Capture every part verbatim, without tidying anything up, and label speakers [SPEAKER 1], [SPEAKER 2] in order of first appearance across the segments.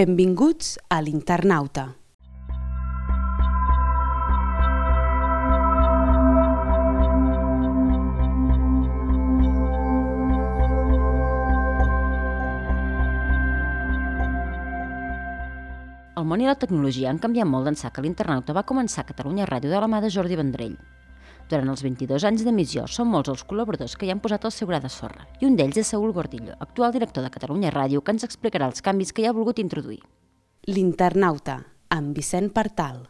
[SPEAKER 1] Benvinguts a l'Internauta.
[SPEAKER 2] El món i la tecnologia han canviat molt d'ençà que l'Internauta va començar a Catalunya Ràdio de la mà de Jordi Vendrell. Durant els vint-i-dos anys d'emissió són molts els col·laboradors que hi han posat el seu gra de sorra, i un d'ells és Saúl Gordillo, actual director de Catalunya Ràdio, que ens explicarà els canvis que hi ha volgut introduir.
[SPEAKER 1] L'Internauta, amb Vicent Partal.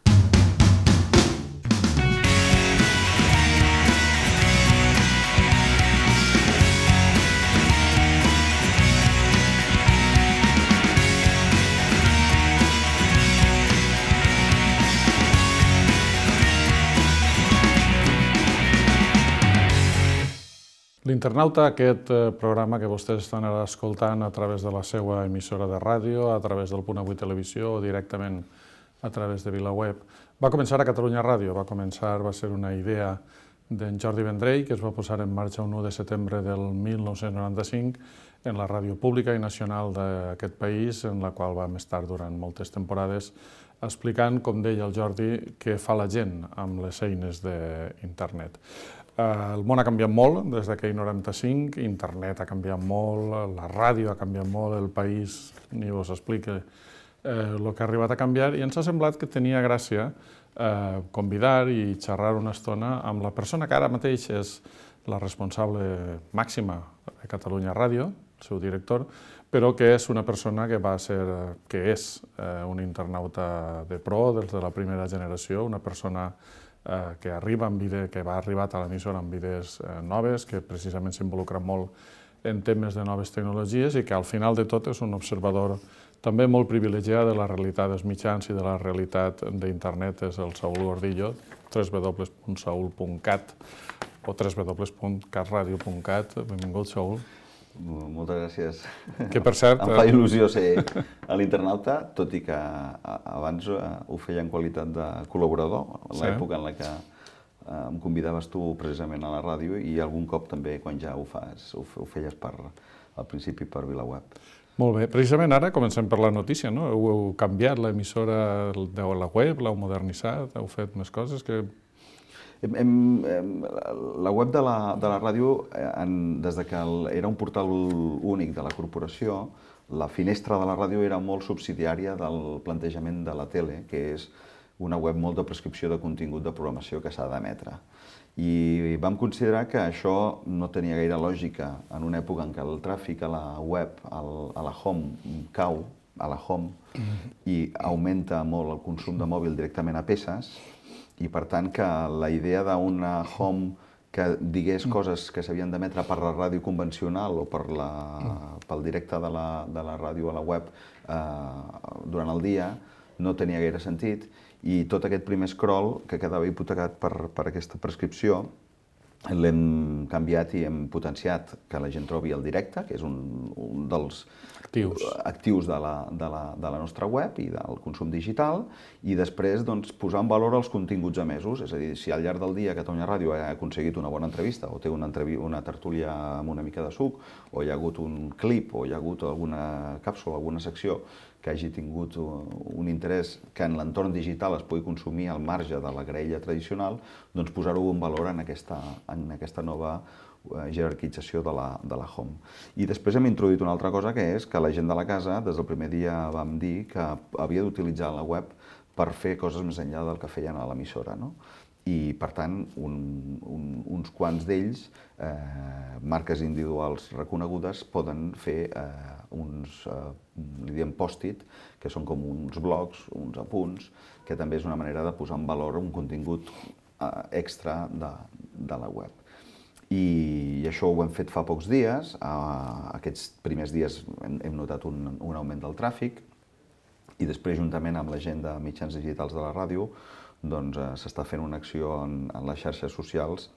[SPEAKER 3] L'Internauta, aquest programa que vostès estan ara escoltant a través de la seva emissora de ràdio, a través del Punt Avui Televisió o directament a través de VilaWeb, va començar a Catalunya Ràdio. Va començar, va ser una idea d'en Jordi Vendrell, que es va posar en marxa un u de setembre del mil nou-cents noranta-cinc en la ràdio pública i nacional d'aquest país, en la qual vam estar durant moltes temporades explicant, com deia el Jordi, què fa la gent amb les eines d'internet. El món ha canviat molt des d'aquell noranta-cinc, internet ha canviat molt, la ràdio ha canviat molt, el país ni us explica el que ha arribat a canviar, i ens ha semblat que tenia gràcia convidar i xerrar una estona amb la persona que ara mateix és la responsable màxima de Catalunya Ràdio, el seu director, però que és una persona que va ser, que és un internauta de pro des de la primera generació, una persona que arriba amb idees, que va arribar a l'emissora amb idees noves, que precisament s'involucra molt en temes de noves tecnologies i que al final de tot és un observador també molt privilegiat de la realitat dels mitjans i de la realitat d'internet. És el Saúl Gordillo, w w w punt saul punt cat o w w w punt catradio punt cat. Benvingut, Saúl.
[SPEAKER 4] Moltes gràcies.
[SPEAKER 3] Que, per cert,
[SPEAKER 4] em fa il·lusió ser a l'Internauta, tot i que abans ho feia en qualitat de col·laborador, a l'època en la que em convidaves tu precisament a la ràdio, i algun cop també quan ja ho fas, ho feies al principi per VilaWeb.
[SPEAKER 3] Molt bé. Precisament ara comencem per la notícia, no? Heu canviat l'emissora de la web, l'heu modernitzat, heu fet més coses que...
[SPEAKER 4] La web de la ràdio, des que era un portal únic de la corporació, la finestra de la ràdio era molt subsidiària del plantejament de la tele, que és una web molt de prescripció de contingut de programació que s'ha d'emetre. I vam considerar que això no tenia gaire lògica en una època en què el tràfic a la web, a la home, cau, a la home, i augmenta molt el consum de mòbil directament a peces, i per tant que la idea d'una home que digués coses que s'havien d'emetre per la ràdio convencional o pel directe de la ràdio a la web durant el dia no tenia gaire sentit, i tot aquest primer scroll que quedava hipotecat per aquesta prescripció l'hem canviat i hem potenciat que la gent trobi el directe, que és un dels actius de la nostra web i del consum digital, i després posar en valor els continguts emesos. És a dir, si al llarg del dia Catalunya Ràdio ha aconseguit una bona entrevista o té una tertúlia amb una mica de suc, o hi ha hagut un clip, o hi ha hagut alguna càpsula, alguna secció que hagi tingut un interès que en l'entorn digital es pugui consumir al marge de la graella tradicional, doncs posar-ho en valor en aquesta nova jerarquització de la home. I després hem introduït una altra cosa, que és que la gent de la casa, des del primer dia vam dir que havia d'utilitzar la web per fer coses més enllà del que feien a l'emissora. I, per tant, uns quants d'ells, marques individuals reconegudes, poden fer uns, li diem post-it, que són com uns blogs, uns apunts, que també és una manera de posar en valor un contingut extra de la web. I això ho hem fet fa pocs dies. Aquests primers dies hem notat un augment del tràfic, i després, juntament amb la gent de mitjans digitals de la ràdio, s'està fent una acció en les xarxes socials,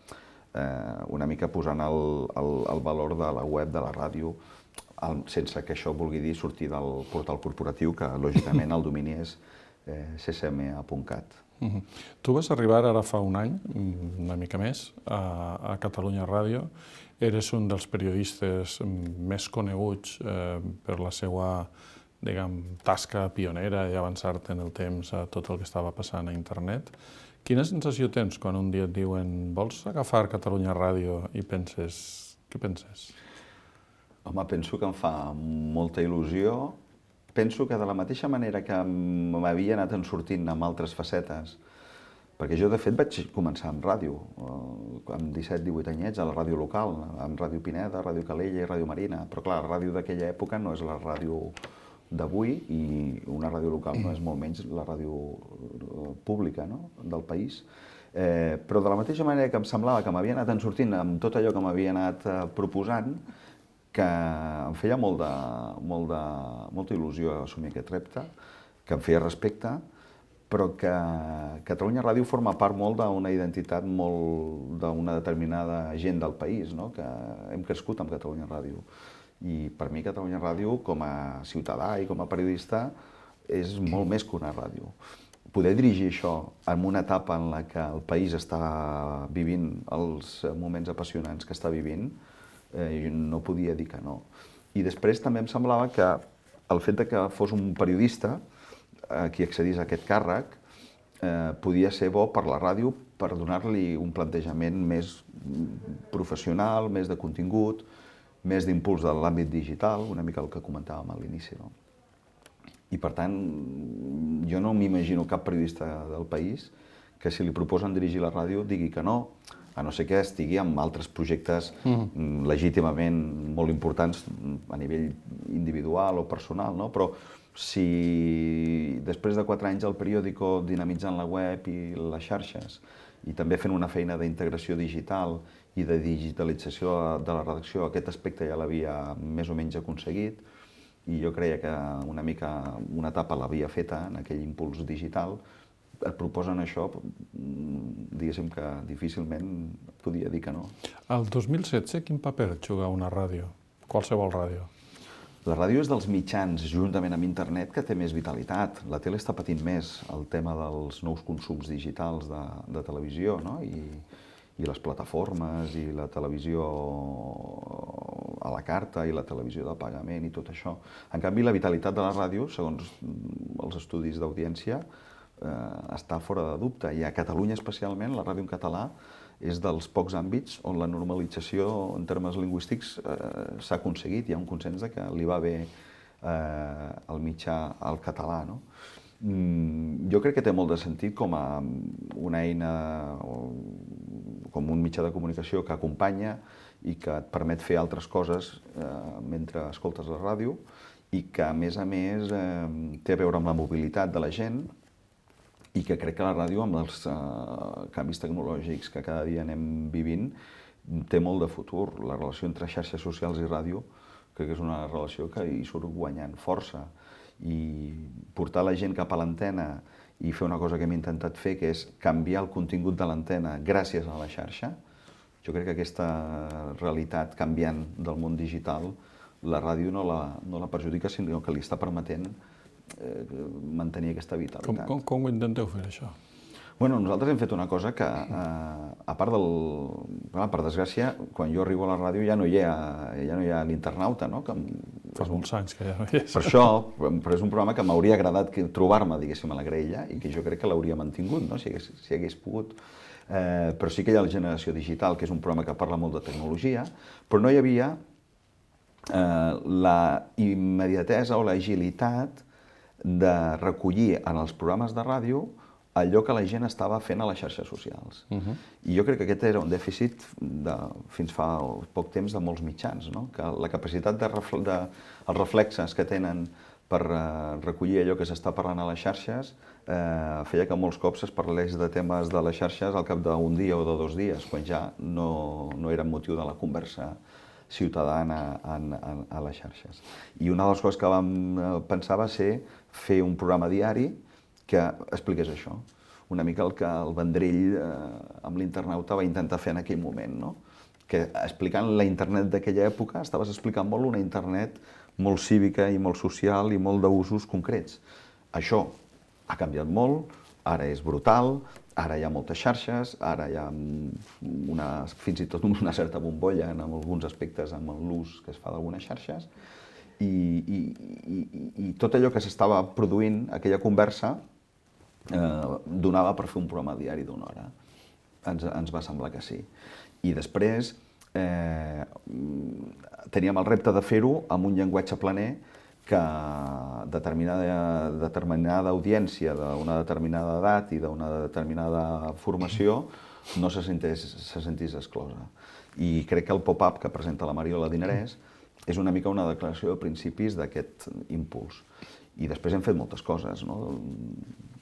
[SPEAKER 4] una mica posant el valor de la web de la ràdio, sense que això vulgui dir sortir del portal corporatiu, que lògicament el domini és c c m a punt cat.
[SPEAKER 3] Tu vas arribar ara fa un any, una mica més, a Catalunya Ràdio. Eres un dels periodistes més coneguts per la seva diguem, tasca pionera i avançar-te en el temps a tot el que estava passant a internet. Quina sensació tens quan un dia et diuen vols agafar Catalunya Ràdio i penses... Què penses?
[SPEAKER 4] Home, penso que em fa molta il·lusió. Penso que de la mateixa manera que m'havia anat en sortint amb altres facetes, perquè jo, de fet, vaig començar amb ràdio, amb disset divuit anyets, a la ràdio local, amb Ràdio Pineda, Ràdio Calella i Ràdio Marina. Però, clar, la ràdio d'aquella època no és la ràdio d'avui i una ràdio local no és molt menys la ràdio pública, no?, del país. Eh, però de la mateixa manera que em semblava que m'havia anat en sortint amb tot allò que m'havia anat eh, proposant, que em feia molt de, molt de, molta il·lusió assumir aquest repte, que em feia respecte, però que Catalunya Ràdio forma part molt d'una identitat molt d'una determinada gent del país, no?, que hem crescut amb Catalunya Ràdio. I per mi Catalunya Ràdio, com a ciutadà i com a periodista, és molt més que una ràdio. Poder dirigir això en una etapa en la que el país està vivint els moments apassionants que està vivint, eh, no podia dir que no. I després també em semblava que el fet de que fos un periodista eh, qui accedís a aquest càrrec eh, podia ser bo per la ràdio per donar-li un plantejament més professional, més de contingut, més d'impuls de l'àmbit digital, una mica el que comentàvem a l'inici, no? I, per tant, jo no m'imagino cap periodista del país que si li proposen dirigir la ràdio digui que no, a no ser que estigui amb altres projectes mm. legítimament molt importants a nivell individual o personal, no? Però si després de quatre anys al periòdico dinamitzant la web i les xarxes i també fent una feina d'integració digital i de digitalització de la redacció, aquest aspecte ja l'havia més o menys aconseguit, i jo creia que una mica una etapa l'havia feta en aquell impuls digital, et proposen això, diguéssim que difícilment podia dir que no.
[SPEAKER 3] El dos mil setze, quin paper juga una ràdio? Qualsevol ràdio?
[SPEAKER 4] La ràdio és dels mitjans, juntament amb internet, que té més vitalitat. La tele està patint més el tema dels nous consums digitals de, de televisió, no? I, i les plataformes, i la televisió a la carta, i la televisió de pagament, i tot això. En canvi, la vitalitat de la ràdio, segons els estudis d'audiència, eh, està fora de dubte. I a Catalunya, especialment, la ràdio en català és dels pocs àmbits on la normalització en termes lingüístics eh, s'ha aconseguit. Hi ha un consens de que li va bé eh, el mitjà al català, no? Mm, jo crec que té molt de sentit com a una eina, com un mitjà de comunicació que acompanya i que et permet fer altres coses eh, mentre escoltes la ràdio i que, a més a més, eh, té a veure amb la mobilitat de la gent i que crec que la ràdio, amb els eh, canvis tecnològics que cada dia anem vivint, té molt de futur. La relació entre xarxes socials i ràdio crec que és una relació que hi surt guanyant força. I portar la gent cap a l'antena i fer una cosa que hem intentat fer, que és canviar el contingut de l'antena gràcies a la xarxa. Jo crec que aquesta realitat canviant del món digital, la ràdio no la, no la perjudica, sinó que li està permetent eh, mantenir aquesta vitalitat.
[SPEAKER 3] Com, com, com ho intenteu fer, això?
[SPEAKER 4] Bueno, nosaltres hem fet una cosa que, eh, a part del... Clar, per desgràcia, quan jo arribo a la ràdio ja no hi ha, ja no hi ha l'internauta, no? Que
[SPEAKER 3] Fa molts anys que ja no hi és.
[SPEAKER 4] Per això, però és un programa que m'hauria agradat trobar-me, diguéssim, a la graella i que jo crec que l'hauria mantingut, no? Si hagués, si hagués pogut. Eh, però sí que hi ha la Generació Digital, que és un programa que parla molt de tecnologia, però no hi havia eh, la immediatesa o l'agilitat de recollir en els programes de ràdio allò que la gent estava fent a les xarxes socials. Uh-huh. I jo crec que aquest era un dèficit de, fins fa poc temps de molts mitjans, no? Que la capacitat de, refle de els reflexes que tenen per uh, recollir allò que s'està parlant a les xarxes eh, feia que molts cops es parlés de temes de les xarxes al cap d'un dia o de dos dies, quan ja no, no era motiu de la conversa ciutadana en, en, a les xarxes. I una de les coses que vam pensar va ser fer un programa diari que expliqués això. Una mica el que el Vendrell eh, amb l'internauta va intentar fer en aquell moment, no? Que explicant la internet d'aquella època estaves explicant molt una internet molt cívica i molt social i molt d'usos concrets. Això ha canviat molt, ara és brutal, ara hi ha moltes xarxes, ara hi ha una, fins i tot una certa bombolla en alguns aspectes amb l'ús que es fa d'algunes xarxes, i, i, i, i tot allò que s'estava produint, aquella conversa, eh, donava per fer un programa diari d'una hora. Ens, ens va semblar que sí. I després eh, teníem el repte de fer-ho amb un llenguatge planer que determinada, determinada audiència d'una determinada edat i d'una determinada formació no se sentís, se sentís exclosa. I crec que el pop-up que presenta la Mariola Dinarès és una mica una declaració de principis d'aquest impuls. I després hem fet moltes coses, no?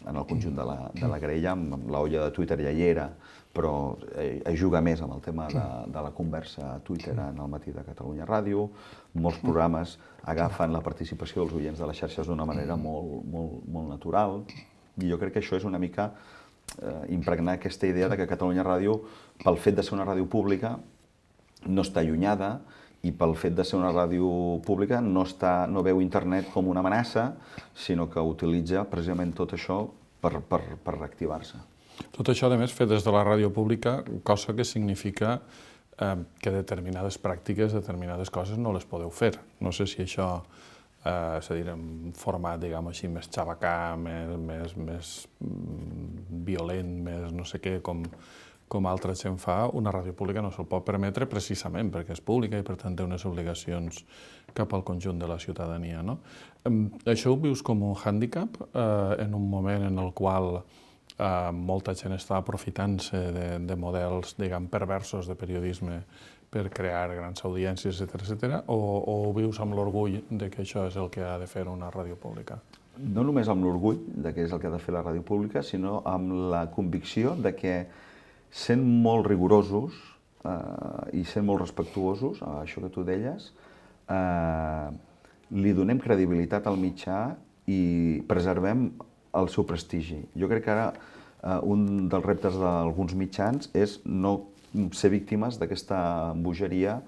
[SPEAKER 4] En el conjunt de la, de la graella, amb la olla de Twitter ja hi era, però es juga més amb el tema de, de la conversa a Twitter en el matí de Catalunya Ràdio. Molts programes agafen la participació dels oients de les xarxes d'una manera molt, molt, molt natural. I jo crec que això és una mica eh, impregnar aquesta idea de que Catalunya Ràdio, pel fet de ser una ràdio pública, no està allunyada, i pel fet de ser una ràdio pública no, està, no veu internet com una amenaça, sinó que utilitza precisament tot això per, per, per reactivar-se.
[SPEAKER 3] Tot això, a més, fet des de la ràdio pública, cosa que significa eh, que determinades pràctiques, determinades coses no les podeu fer. No sé si això, eh, és a dir, en format, diguem així, més xabacà, més, més, més violent, més no sé què, com... com altra gent fa, una ràdio pública no se'l pot permetre precisament perquè és pública i per tant té unes obligacions cap al conjunt de la ciutadania. No? Això ho vius com un hàndicap eh, en un moment en el qual eh, molta gent està aprofitant-se de, de models, diguem, perversos de periodisme per crear grans audiències, etcètera, etcètera, o, o ho vius amb l'orgull de que això és el que ha de fer una ràdio pública?
[SPEAKER 4] No només amb l'orgull de que és el que ha de fer la ràdio pública, sinó amb la convicció de que sent molt rigorosos eh, i sent molt respectuosos, a això que tu deies, eh, li donem credibilitat al mitjà i preservem el seu prestigi. Jo crec que ara eh, un dels reptes d'alguns mitjans és no ser víctimes d'aquesta bogeria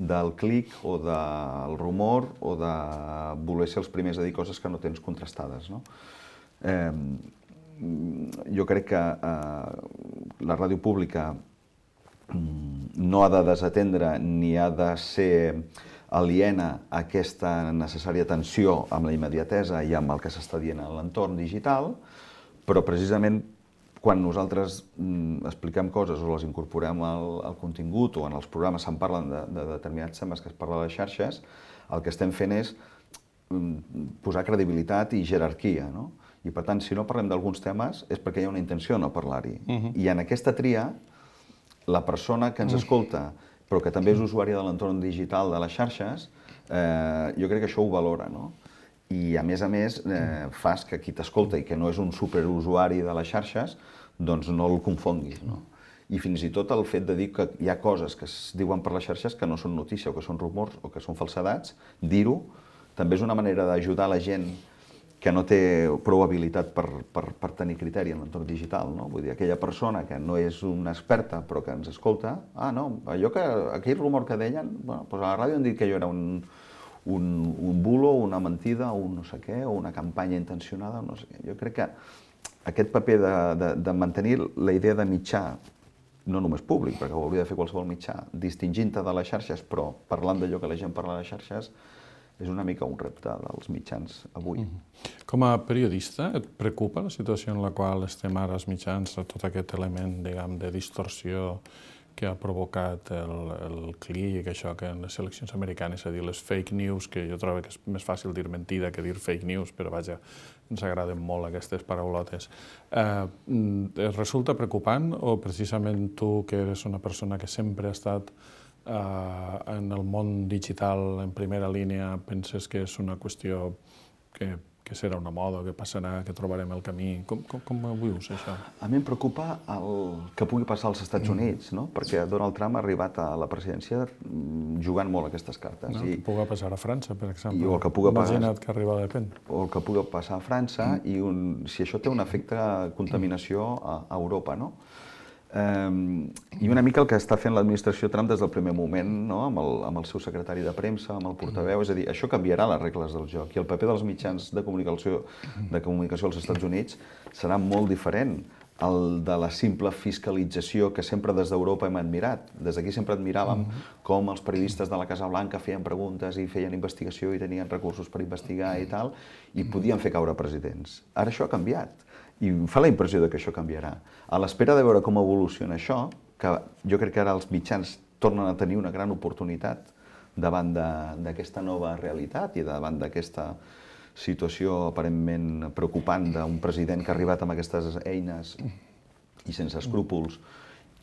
[SPEAKER 4] del clic o del rumor o de voler ser els primers a dir coses que no tens contrastades. No? Eh, jo crec que eh, la ràdio pública no ha de desatendre ni ha de ser aliena a aquesta necessària tensió amb la immediatesa i amb el que s'està dient a l'entorn digital, però precisament quan nosaltres expliquem coses o les incorporem al, al contingut o en els programes se'n parlen de, de determinats temes que es parla a les xarxes, el que estem fent és posar credibilitat i jerarquia, no? I per tant, si no parlem d'alguns temes és perquè hi ha una intenció de no parlar-hi. Uh-huh. I en aquesta tria, la persona que ens escolta, però que també és usuària de l'entorn digital de les xarxes, eh, jo crec que això ho valora, no? I a més a més, eh, fas que qui t'escolta i que no és un superusuari de les xarxes, doncs no el confonguis, no? I fins i tot el fet de dir que hi ha coses que es diuen per les xarxes que no són notícia o que són rumors o que són falsedats, dir-ho també és una manera d'ajudar la gent que no té prou habilitat per, per, per tenir criteri en l'entorn digital, no? Vull dir, aquella persona que no és una experta però que ens escolta, ah, no, allò que, aquell rumor que deien, bueno, doncs a la ràdio han dit que allò era un, un, un bulo, una mentida, un no sé què, o una campanya intencionada, no sé què. Jo crec que aquest paper de, de, de mantenir la idea de mitjà, no només públic, perquè ho hauria de fer qualsevol mitjà, distingint-te de les xarxes, però parlant d'allò que la gent parla a les xarxes, és una mica un repte dels mitjans avui.
[SPEAKER 3] Com a periodista, et preocupa la situació en la qual estem ara els mitjans, tot aquest element, diguem, de distorsió que ha provocat el, el clic, això que en les eleccions americanes, és a dir, les fake news, que jo trobo que és més fàcil dir mentida que dir fake news, però vaja, ens agraden molt aquestes paraulotes. Eh, et resulta preocupant o precisament tu, que eres una persona que sempre ha estat Uh, en el món digital en primera línia, penses que és una qüestió que, que serà una moda, que passarà, que trobarem el camí? Com, com, com ho vius, això?
[SPEAKER 4] A mi em preocupa el que pugui passar als Estats Units, no? Perquè Donald Trump ha arribat a la presidència jugant molt aquestes cartes.
[SPEAKER 3] No,
[SPEAKER 4] I,
[SPEAKER 3] que pugui passar a França, per exemple.
[SPEAKER 4] I o el que pugui
[SPEAKER 3] Imagina't
[SPEAKER 4] passar,
[SPEAKER 3] que arriba Le Pen.
[SPEAKER 4] O el que pugui passar a França, mm. i un, si això té un efecte de contaminació a, a Europa, no? Um, I una mica el que està fent l'administració Trump des del primer moment, no? amb, el, amb el seu secretari de premsa, amb el portaveu, és a dir, això canviarà les regles del joc i el paper dels mitjans de comunicació, de comunicació als Estats Units serà molt diferent el de la simple fiscalització que sempre des d'Europa hem admirat. Des d'aquí sempre admiràvem com els periodistes de la Casa Blanca feien preguntes i feien investigació i tenien recursos per investigar i tal, i podien fer caure presidents. Ara això ha canviat, i em fa la impressió que això canviarà. A l'espera de veure com evoluciona això, que jo crec que ara els mitjans tornen a tenir una gran oportunitat davant d'aquesta nova realitat i davant d'aquesta situació aparentment preocupant d'un president que ha arribat amb aquestes eines i sense escrúpols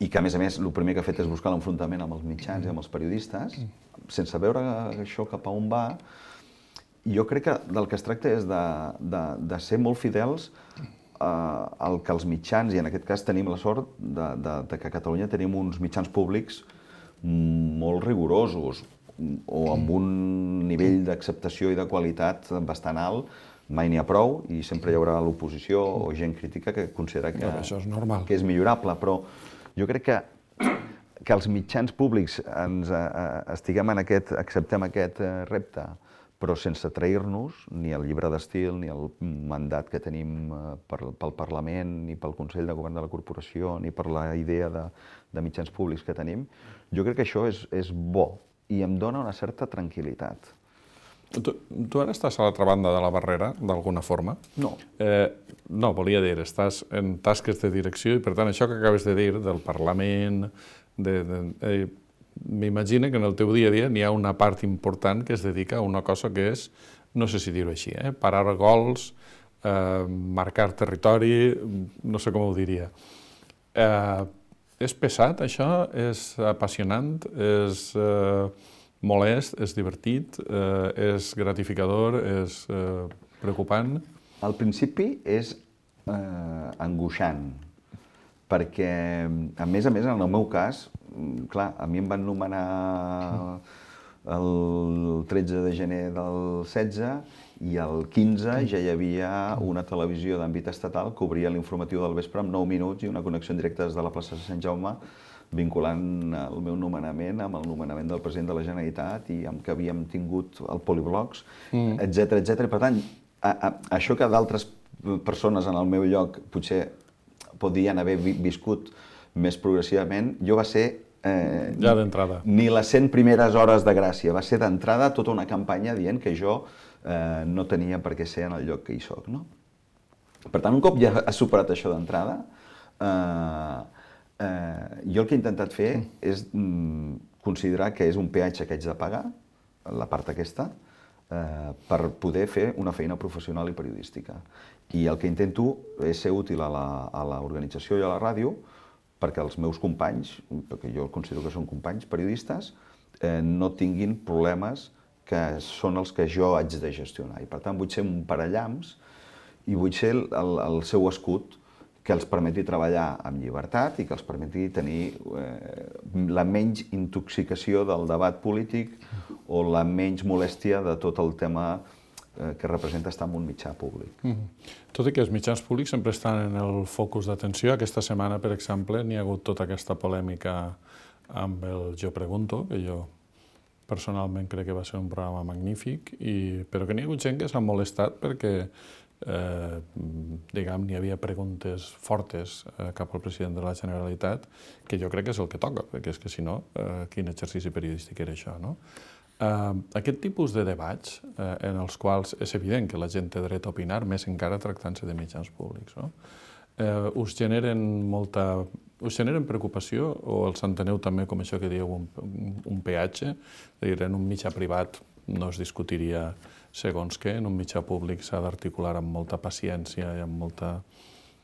[SPEAKER 4] i que, a més a més, el primer que ha fet és buscar l'enfrontament amb els mitjans i amb els periodistes, sense veure això cap a on va. Jo crec que del que es tracta és de, de, de ser molt fidels al que els mitjans, i en aquest cas tenim la sort de, de, de que a Catalunya tenim uns mitjans públics molt rigorosos, o amb un nivell d'acceptació i de qualitat bastant alt, mai n'hi ha prou, i sempre hi haurà l'oposició o gent crítica que considera que,
[SPEAKER 3] això és normal.
[SPEAKER 4] que és millorable, però jo crec que, que els mitjans públics ens, eh, estiguem en aquest, acceptem aquest eh, repte, però sense trair-nos ni el llibre d'estil, ni el mandat que tenim eh, per, pel Parlament, ni pel Consell de Govern de la Corporació, ni per la idea de, de mitjans públics que tenim, jo crec que això és, és bo, i em dona una certa tranquil·litat.
[SPEAKER 3] Tu, tu ara estàs a l'altra banda de la barrera, d'alguna forma?
[SPEAKER 4] No.
[SPEAKER 3] Eh, no, volia dir, estàs en tasques de direcció i, per tant, això que acabes de dir del Parlament, de, de, eh, m'imagino que en el teu dia a dia n'hi ha una part important que es dedica a una cosa que és, no sé si dir-ho així, eh, parar gols, eh, marcar territori, no sé com ho diria. Eh, És pesat, això? És apassionant? És eh, molest? És divertit? Eh, és gratificador? És eh, preocupant?
[SPEAKER 4] Al principi és eh, angoixant, perquè, a més a més, en el meu cas, clar, a mi em van nomenar el tretze de gener del setze i el quinze ja hi havia una televisió d'àmbit estatal que obria l'informatiu del vespre amb nou minuts i una connexió en directe des de la plaça de Sant Jaume vinculant el meu nomenament amb el nomenament del president de la Generalitat i amb que havíem tingut el Poliblocs, etcètera, etcètera. Per tant, a, a, això que d'altres persones en el meu lloc potser podien haver viscut més progressivament, jo va ser Eh,
[SPEAKER 3] ja d'entrada.
[SPEAKER 4] Ni les cent primeres hores de gràcia. Va ser d'entrada tota una campanya dient que jo eh, no tenia per què ser en el lloc que hi soc. No? Per tant, un cop ja has superat això d'entrada, eh, eh, jo el que he intentat fer és mm, considerar que és un peatge que haig de pagar, la part aquesta, eh, per poder fer una feina professional i periodística. I el que intento és ser útil a l'organització i a la ràdio perquè els meus companys, perquè jo considero que són companys periodistes, eh, no tinguin problemes que són els que jo haig de gestionar. I per tant vull ser un parallamps i vull ser el, el seu escut que els permeti treballar amb llibertat i que els permeti tenir eh, la menys intoxicació del debat polític o la menys molèstia de tot el tema que representa estar en un mitjà públic.
[SPEAKER 3] Mm-hmm. Tot i que els mitjans públics sempre estan en el focus d'atenció. Aquesta setmana, per exemple, n'hi ha hagut tota aquesta polèmica amb el Jo Pregunto, que jo personalment crec que va ser un programa magnífic, i, però que n'hi ha hagut gent que s'ha molestat perquè eh, diguem, n'hi havia preguntes fortes eh, cap al president de la Generalitat, que jo crec que és el que toca, perquè és que si no, eh, quin exercici periodístic era això, no? Uh, aquest tipus de debats uh, en els quals és evident que la gent té dret a opinar, més encara tractant-se de mitjans públics, no? Uh, us generen molta... us generen preocupació o els enteneu també com això que dieu un, un peatge? És a dir, en un mitjà privat no es discutiria segons què, en un mitjà públic s'ha d'articular amb molta paciència i amb molta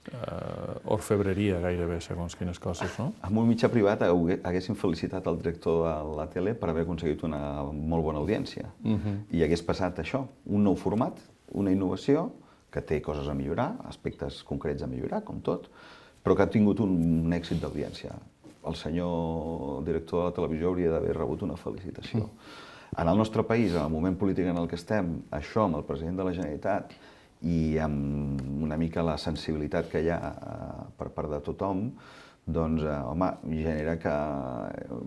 [SPEAKER 3] Uh, orfebreria gairebé, segons quines coses, no?
[SPEAKER 4] En un mitjà privat haguéssim felicitat el director de la tele per haver aconseguit una molt bona audiència. Uh-huh. I hagués passat això, un nou format, una innovació, que té coses a millorar, aspectes concrets a millorar, com tot, però que ha tingut un èxit d'audiència. El senyor director de la televisió hauria d'haver rebut una felicitació. Uh-huh. En el nostre país, en el moment polític en el que estem, això amb el president de la Generalitat i amb una mica la sensibilitat que hi ha eh, per part de tothom, doncs, eh, home, genera que eh,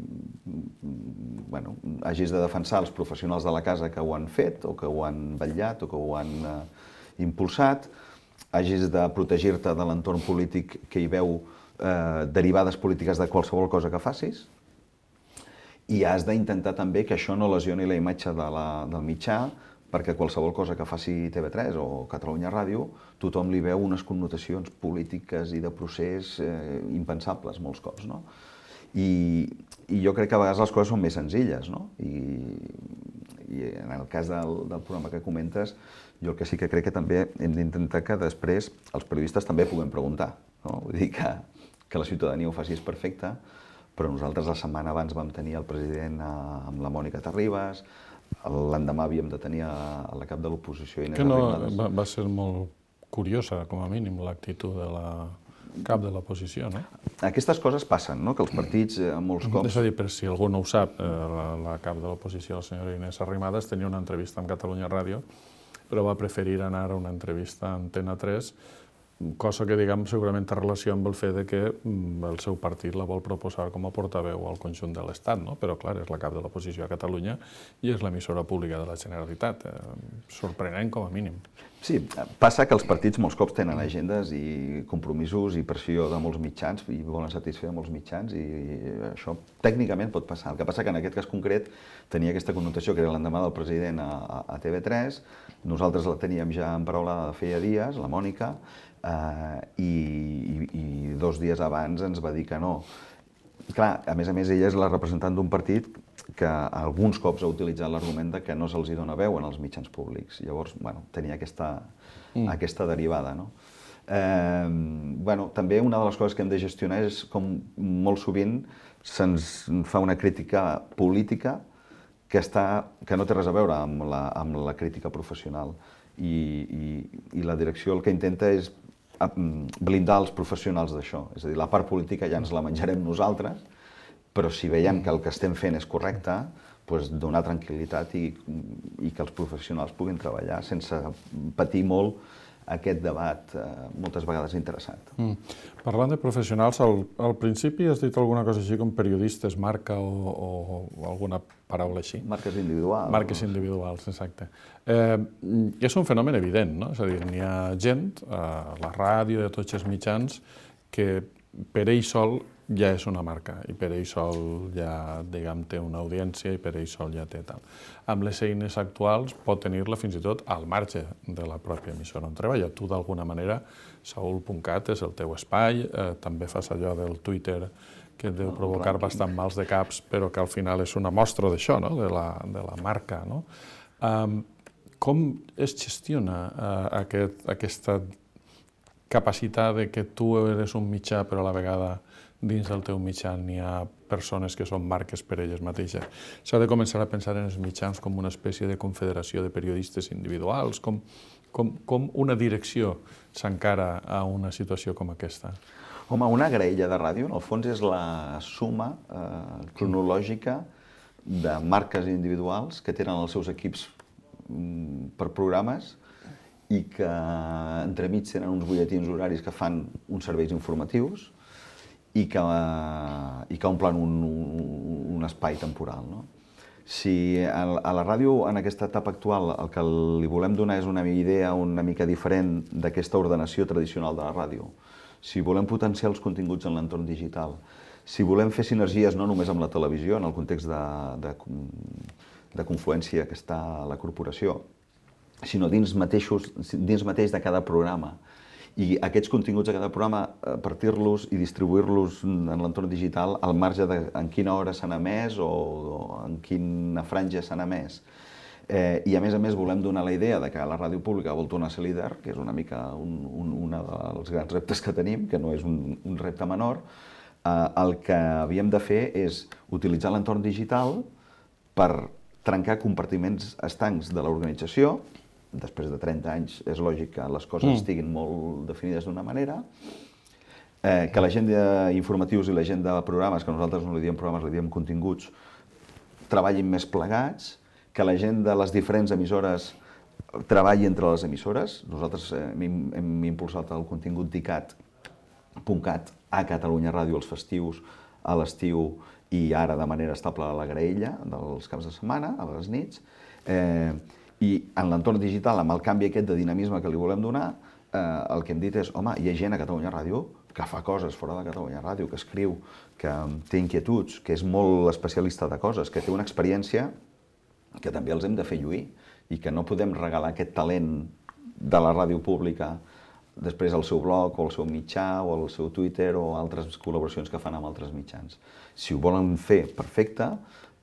[SPEAKER 4] bueno, hagis de defensar els professionals de la casa que ho han fet, o que ho han vetllat, o que ho han eh, impulsat, hagis de protegir-te de l'entorn polític que hi veu eh, derivades polítiques de qualsevol cosa que facis, i has d'intentar també que això no lesioni la imatge de la, del mitjà, perquè qualsevol cosa que faci T V tres o Catalunya Ràdio, tothom li veu unes connotacions polítiques i de procés eh, impensables molts cops, no? I, I jo crec que a vegades les coses són més senzilles, no? I, i en el cas del, del programa que comentes, jo el que sí que crec que també hem d'intentar que després els periodistes també puguem preguntar, no? Vull dir que, que la ciutadania ho faci és perfecte, però nosaltres la setmana abans vam tenir el president amb la Mònica Terribas, l'endemà havíem de tenir a la cap de l'oposició Inés Arrimadas.
[SPEAKER 3] Va, va ser molt curiosa, com a mínim, l'actitud de la cap de l'oposició, no?
[SPEAKER 4] Aquestes coses passen, no? Que els partits, eh, molts cops...
[SPEAKER 3] És a dir, per si algú no ho sap, eh, la, la cap de l'oposició, la senyora Inés Arrimadas, tenia una entrevista amb Catalunya Ràdio, però va preferir anar a una entrevista a Antena tres, cosa que, diguem, segurament té relació amb el fet de que el seu partit la vol proposar com a portaveu al conjunt de l'Estat, no? Però, clar, és la cap de l'oposició a Catalunya i és l'emissora pública de la Generalitat. Sorprenent, com a mínim.
[SPEAKER 4] Sí, passa que els partits molts cops tenen agendes i compromisos i pressió de molts mitjans i volen satisfer molts mitjans i això tècnicament pot passar. El que passa que en aquest cas concret tenia aquesta connotació que era l'endemà del president a, a T V tres, nosaltres la teníem ja emparaulada de feia dies, la Mònica, Uh, i, i, i dos dies abans ens va dir que no. Clar, a més a més, ella és la representant d'un partit que alguns cops ha utilitzat l'argument de que no se'ls dona veu en els mitjans públics. Llavors, bueno, tenia aquesta, mm. aquesta derivada, no? Eh, bueno, també una de les coses que hem de gestionar és com molt sovint se'ns fa una crítica política que, està, que no té res a veure amb la, amb la crítica professional. I, i, i la direcció el que intenta és blindar els professionals d'això. És a dir, la part política ja ens la menjarem nosaltres, però si veiem que el que estem fent és correcte, doncs donar tranquil·litat i, i que els professionals puguin treballar sense patir molt aquest debat, eh, moltes vegades interessant.
[SPEAKER 3] Mm. Parlant de professionals, al, al principi has dit alguna cosa així com periodistes, marca o, o, o alguna paraula així.
[SPEAKER 4] Marques individuals.
[SPEAKER 3] Marques individuals, exacte. Eh, és un fenomen evident, no? És a dir, n'hi ha gent, a la ràdio, de tots els mitjans, que per ell sol ja és una marca i per ell sol ja, diguem, té una audiència i per ell sol ja té tal. Amb les eines actuals pot tenir-la fins i tot al marge de la pròpia emissora on treballa. Tu, d'alguna manera, saúl punt cat és el teu espai, eh, també fas allò del Twitter que et deu provocar bastant mals de caps, però que al final és una mostra d'això, no? de, la, de la marca. No? Um, com es gestiona uh, aquest, aquesta capacitat de que tu eres un mitjà però a la vegada dins del teu mitjà n'hi ha persones que són marques per elles mateixes? S'ha de començar a pensar en els mitjans com una espècie de confederació de periodistes individuals? Com, com, com una direcció s'encara a una situació com aquesta?
[SPEAKER 4] Home, una graella de ràdio, en el fons, és la suma eh, cronològica de marques individuals que tenen els seus equips mm, per programes i que entremig tenen uns butlletins horaris que fan uns serveis informatius i que, i que omplen un, un, un espai temporal. No? Si a, a la ràdio, en aquesta etapa actual, el que li volem donar és una idea una mica diferent d'aquesta ordenació tradicional de la ràdio, si volem potenciar els continguts en l'entorn digital, si volem fer sinergies no només amb la televisió, en el context de, de, de confluència que està a la corporació, sinó dins, mateixos, dins mateix de cada programa, i aquests continguts de cada programa, partir-los i distribuir-los en l'entorn digital al marge de en quina hora s'han emès o, o en quina franja s'han emès. Eh, I a més a més volem donar la idea de que la ràdio pública vol tornar a ser líder, que és una mica un, un, un dels grans reptes que tenim, que no és un, un repte menor. Eh, el que havíem de fer és utilitzar l'entorn digital per trencar compartiments estancs de l'organització. Després de trenta anys és lògic que les coses mm. estiguin molt definides d'una manera, eh, que la gent d'informatius i la gent de programes, que nosaltres no li diem programes, li diem continguts, treballin més plegats, que la gent de les diferents emissores treballi entre les emissores. Nosaltres eh, hem, hem impulsat el contingut dicat punt cat a Catalunya Ràdio els festius, a l'estiu i ara de manera estable a la graella dels caps de setmana, a les nits. Eh, I en l'entorn digital, amb el canvi aquest de dinamisme que li volem donar, el que hem dit és, home, hi ha gent a Catalunya Ràdio que fa coses fora de Catalunya Ràdio, que escriu, que té inquietuds, que és molt especialista de coses, que té una experiència que també els hem de fer lluir i que no podem regalar aquest talent de la ràdio pública després al seu blog o al seu mitjà o al seu Twitter o altres col·laboracions que fan amb altres mitjans. Si ho volen fer, perfecte,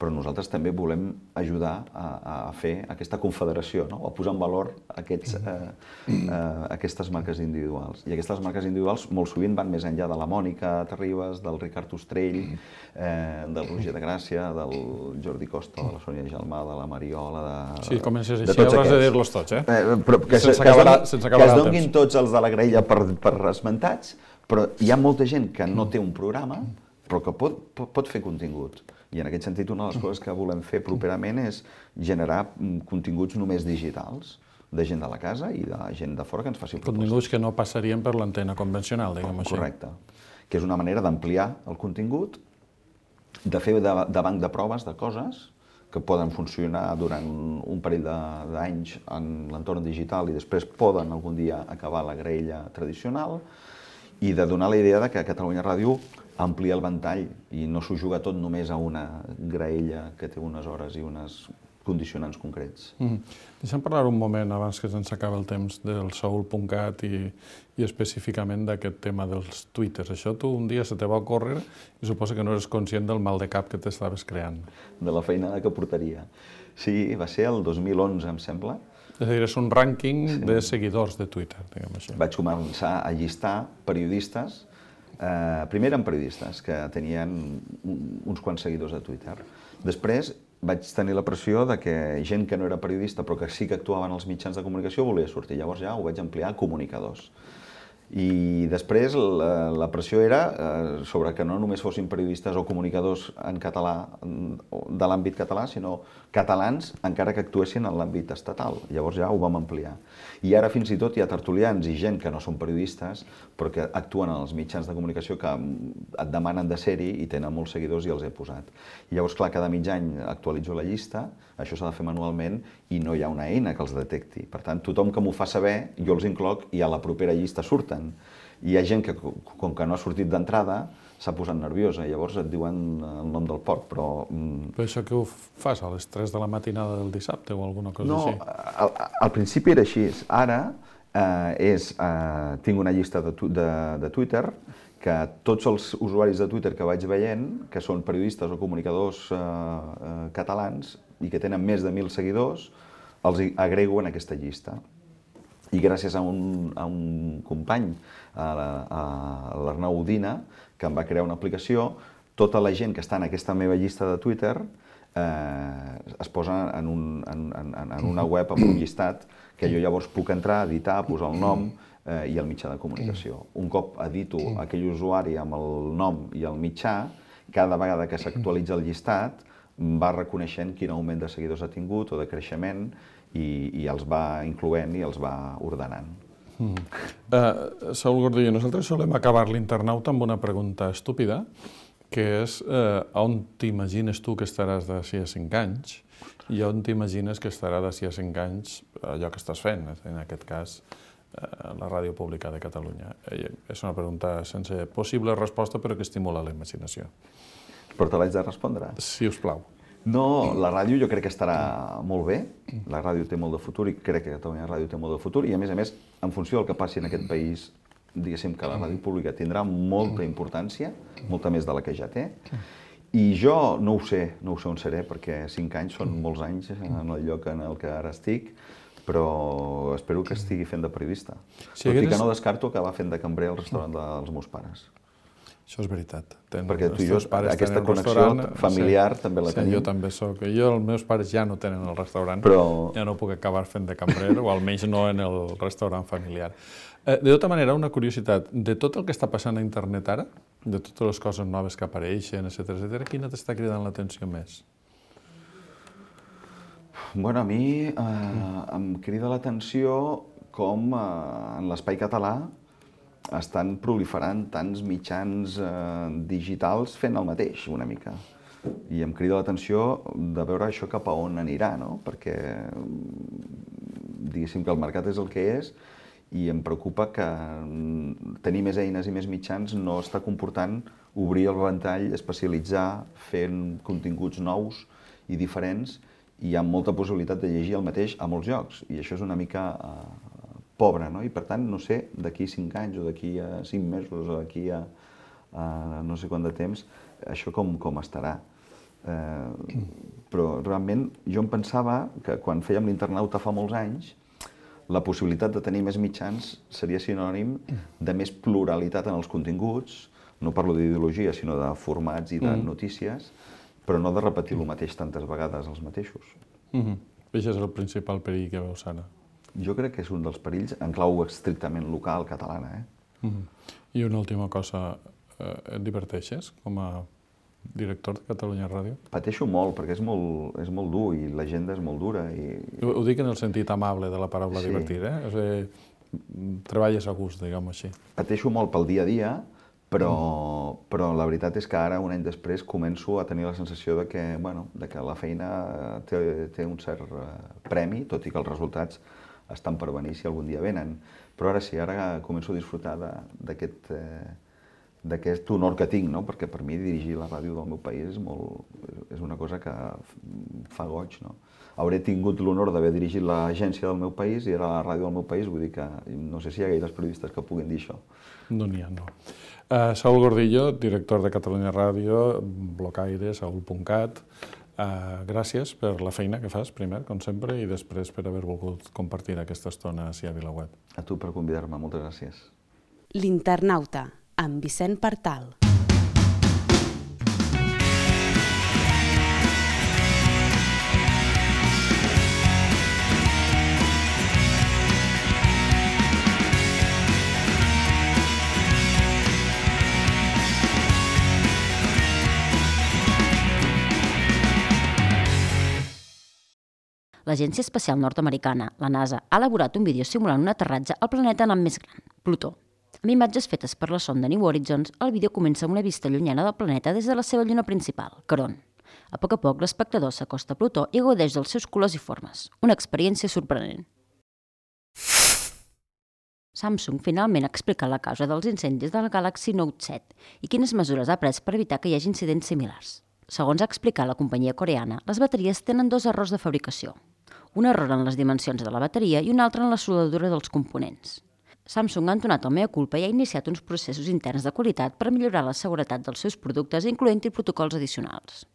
[SPEAKER 4] però nosaltres també volem ajudar a, a fer aquesta confederació, no? A posar en valor aquests, eh, eh, aquestes marques individuals. I aquestes marques individuals molt sovint van més enllà de la Mònica Terribas, del Ricard Ostrell, eh, del Roger de Gràcia, del Jordi Costa, de la Sònia Gelmà, de la Mariola, de...
[SPEAKER 3] Sí, comences així, hauràs de dir-los tots, eh?
[SPEAKER 4] eh però que, sense que, acabar, es, que es donguin tots els de la graella per, per esmentats, però hi ha molta gent que no té un programa, però que pot, pot, pot fer contingut. I en aquest sentit, una de les coses que volem fer properament és generar continguts només digitals, de gent de la casa i de gent de fora que ens faci propostes.
[SPEAKER 3] Continguts que no passarien per l'antena convencional, diguem així.
[SPEAKER 4] Correcte. Que és una manera d'ampliar el contingut, de fer de, de banc de proves de coses que poden funcionar durant un parell d'anys en l'entorn digital i després poden algun dia acabar la graella tradicional, i de donar la idea de que Catalunya Ràdio amplia el ventall i no s'ho juga tot només a una graella que té unes hores i uns condicionants concrets.
[SPEAKER 3] Mm. Deixa'm parlar un moment, abans que se'ns acaba el temps, del soul punt cat i, i específicament d'aquest tema dels twitters. Això tu un dia se te va ocórrer i suposo que no eres conscient del mal de cap que t'estaves creant.
[SPEAKER 4] De la feinada que portaria. Sí, va ser el dos mil onze, em sembla.
[SPEAKER 3] És a dir, és un rànquing sí. de seguidors de Twitter, diguem així.
[SPEAKER 4] Vaig començar a llistar periodistes, eh, primer eren periodistes que tenien uns quants seguidors a Twitter. Després vaig tenir la pressió de que gent que no era periodista però que sí que actuaven als mitjans de comunicació volia sortir. Llavors ja ho vaig ampliar a comunicadors. I després la, la pressió era eh, sobre que no només fossin periodistes o comunicadors en català, de l'àmbit català, sinó catalans encara que actuessin en l'àmbit estatal. Llavors ja ho vam ampliar. I ara fins i tot hi ha tertulians i gent que no són periodistes però que actuen en els mitjans de comunicació que et demanen de ser-hi i tenen molts seguidors i els he posat. I llavors, clar, cada mig any actualitzo la llista, això s'ha de fer manualment i no hi ha una eina que els detecti. Per tant, tothom que m'ho fa saber, jo els incloc i a la propera llista surten. I hi ha gent que, com que no ha sortit d'entrada, s'ha posat nerviosa, llavors et diuen el nom del porc, però...
[SPEAKER 3] Però això que ho fas a les tres de la matinada del dissabte o alguna cosa
[SPEAKER 4] no,
[SPEAKER 3] així?
[SPEAKER 4] No, al, al principi era així. Ara eh, és, eh, tinc una llista de, de, de Twitter que tots els usuaris de Twitter que vaig veient, que són periodistes o comunicadors eh, eh, catalans i que tenen més de mil seguidors, els agrego en aquesta llista. I gràcies a un, a un company, a l'Arnau Udina, que em va crear una aplicació, tota la gent que està en aquesta meva llista de Twitter eh, es posa en, un, en, en, en una web amb un llistat que jo llavors puc entrar, editar, posar el nom eh, i el mitjà de comunicació. Un cop edito aquell usuari amb el nom i el mitjà, cada vegada que s'actualitza el llistat va reconeixent quin augment de seguidors ha tingut o de creixement i, i els va incloent i els va ordenant.
[SPEAKER 3] Mm. Uh, Saúl Gordillo, nosaltres solem acabar l'internauta amb una pregunta estúpida, que és uh, on t'imagines tu que estaràs d'ací a cinc anys i on t'imagines que estarà d'ací a cinc anys allò que estàs fent, en aquest cas uh, la Ràdio Pública de Catalunya. Uh, és una pregunta sense possible resposta, però que estimula la imaginació.
[SPEAKER 4] Però te l'haig de respondre?
[SPEAKER 3] Si us plau.
[SPEAKER 4] No, la ràdio jo crec que estarà molt bé, la ràdio té molt de futur i crec que Catalunya Ràdio té molt de futur i a més a més, en funció del que passi en aquest país, diguéssim que la ràdio pública tindrà molta importància, molta més de la que ja té, i jo no ho sé, no ho sé on seré perquè cinc anys són molts anys en el lloc en el que ara estic, però espero que estigui fent de periodista. Tot i que no descarto acabar fent de cambrer al restaurant dels meus pares.
[SPEAKER 3] Això és veritat. Ten,
[SPEAKER 4] perquè tu i jo, aquesta connexió familiar
[SPEAKER 3] sí,
[SPEAKER 4] també la
[SPEAKER 3] sí,
[SPEAKER 4] tenim.
[SPEAKER 3] Jo també soc. Jo, els meus pares ja no tenen el restaurant,
[SPEAKER 4] però...
[SPEAKER 3] ja no puc acabar fent de cambrer, o almenys no en el restaurant familiar. Eh, de tota manera, una curiositat, de tot el que està passant a internet ara, de totes les coses noves que apareixen, etcètera, etcètera, quina t'està cridant l'atenció més?
[SPEAKER 4] Bueno, a mi eh, em crida l'atenció com eh, en l'espai català estan proliferant tants mitjans eh, digitals fent el mateix, una mica. I em crida l'atenció de veure això cap a on anirà, no? Perquè diguéssim que el mercat és el que és i em preocupa que tenir més eines i més mitjans no està comportant obrir el ventall, especialitzar, fent continguts nous i diferents, i hi ha molta possibilitat de llegir el mateix a molts llocs, i això és una mica eh, pobre, no? I per tant, no sé, d'aquí cinc anys o d'aquí a cinc mesos o d'aquí a, a no sé quant de temps, això com, com estarà. Eh, però realment jo em pensava que quan fèiem l'Internauta fa molts anys, la possibilitat de tenir més mitjans seria sinònim de més pluralitat en els continguts, no parlo d'ideologia, sinó de formats i de mm. notícies, però no de repetir el mateix tantes vegades els mateixos.
[SPEAKER 3] Mm-hmm. Això és el principal perill que veus ara?
[SPEAKER 4] Jo crec que és un dels perills en clau estrictament local catalana. Eh?
[SPEAKER 3] Mm-hmm. I una última cosa, eh, et diverteixes com a director de Catalunya Ràdio?
[SPEAKER 4] Pateixo molt, perquè és molt, és molt dur i l'agenda és molt dura. I...
[SPEAKER 3] Ho, ho dic en el sentit amable de la paraula sí. divertir, eh? O sigui, treballes a gust, diguem-ho així.
[SPEAKER 4] Pateixo molt pel dia a dia, però, mm. però la veritat és que ara, un any després, començo a tenir la sensació de que, bueno, de que la feina té, té un cert premi, tot i que els resultats estan per venir si algun dia venen. Però ara sí, ara començo a disfrutar d'aquest d'aquest honor que tinc, no? Perquè per mi dirigir la ràdio del meu país és, molt, és una cosa que fa goig. No? Hauré tingut l'honor d'haver dirigit l'agència del meu país i era la ràdio del meu país, vull dir que no sé si hi ha gaires periodistes que puguin dir això.
[SPEAKER 3] No n'hi ha, no. Uh, Saúl Gordillo, director de Catalunya Ràdio, blocaire, saúl punt cat. Uh, gràcies per la feina que fas, primer, com sempre, i després per haver volgut compartir aquesta estona ací a VilaWeb.
[SPEAKER 4] A tu per convidar-me, moltes gràcies.
[SPEAKER 1] L'Internauta, amb Vicent Partal.
[SPEAKER 2] L'Agència Espacial Nord-Americana, la NASA, ha elaborat un vídeo simulant un aterratge al planeta nan més gran, Plutó. Amb imatges fetes per la sonda New Horizons, el vídeo comença amb una vista llunyana del planeta des de la seva lluna principal, Caront. A poc a poc, l'espectador s'acosta a Plutó i gaudeix dels seus colors i formes. Una experiència sorprenent. Samsung finalment ha explicat la causa dels incendis de la Galaxy Note set i quines mesures ha pres per evitar que hi hagi incidents similars. Segons ha explicat la companyia coreana, les bateries tenen dos errors de fabricació. Un error en les dimensions de la bateria i un altre en la soldadura dels components. Samsung ha entonat el mea culpa i ha iniciat uns processos interns de qualitat per millorar la seguretat dels seus productes, incloent-hi protocols addicionals.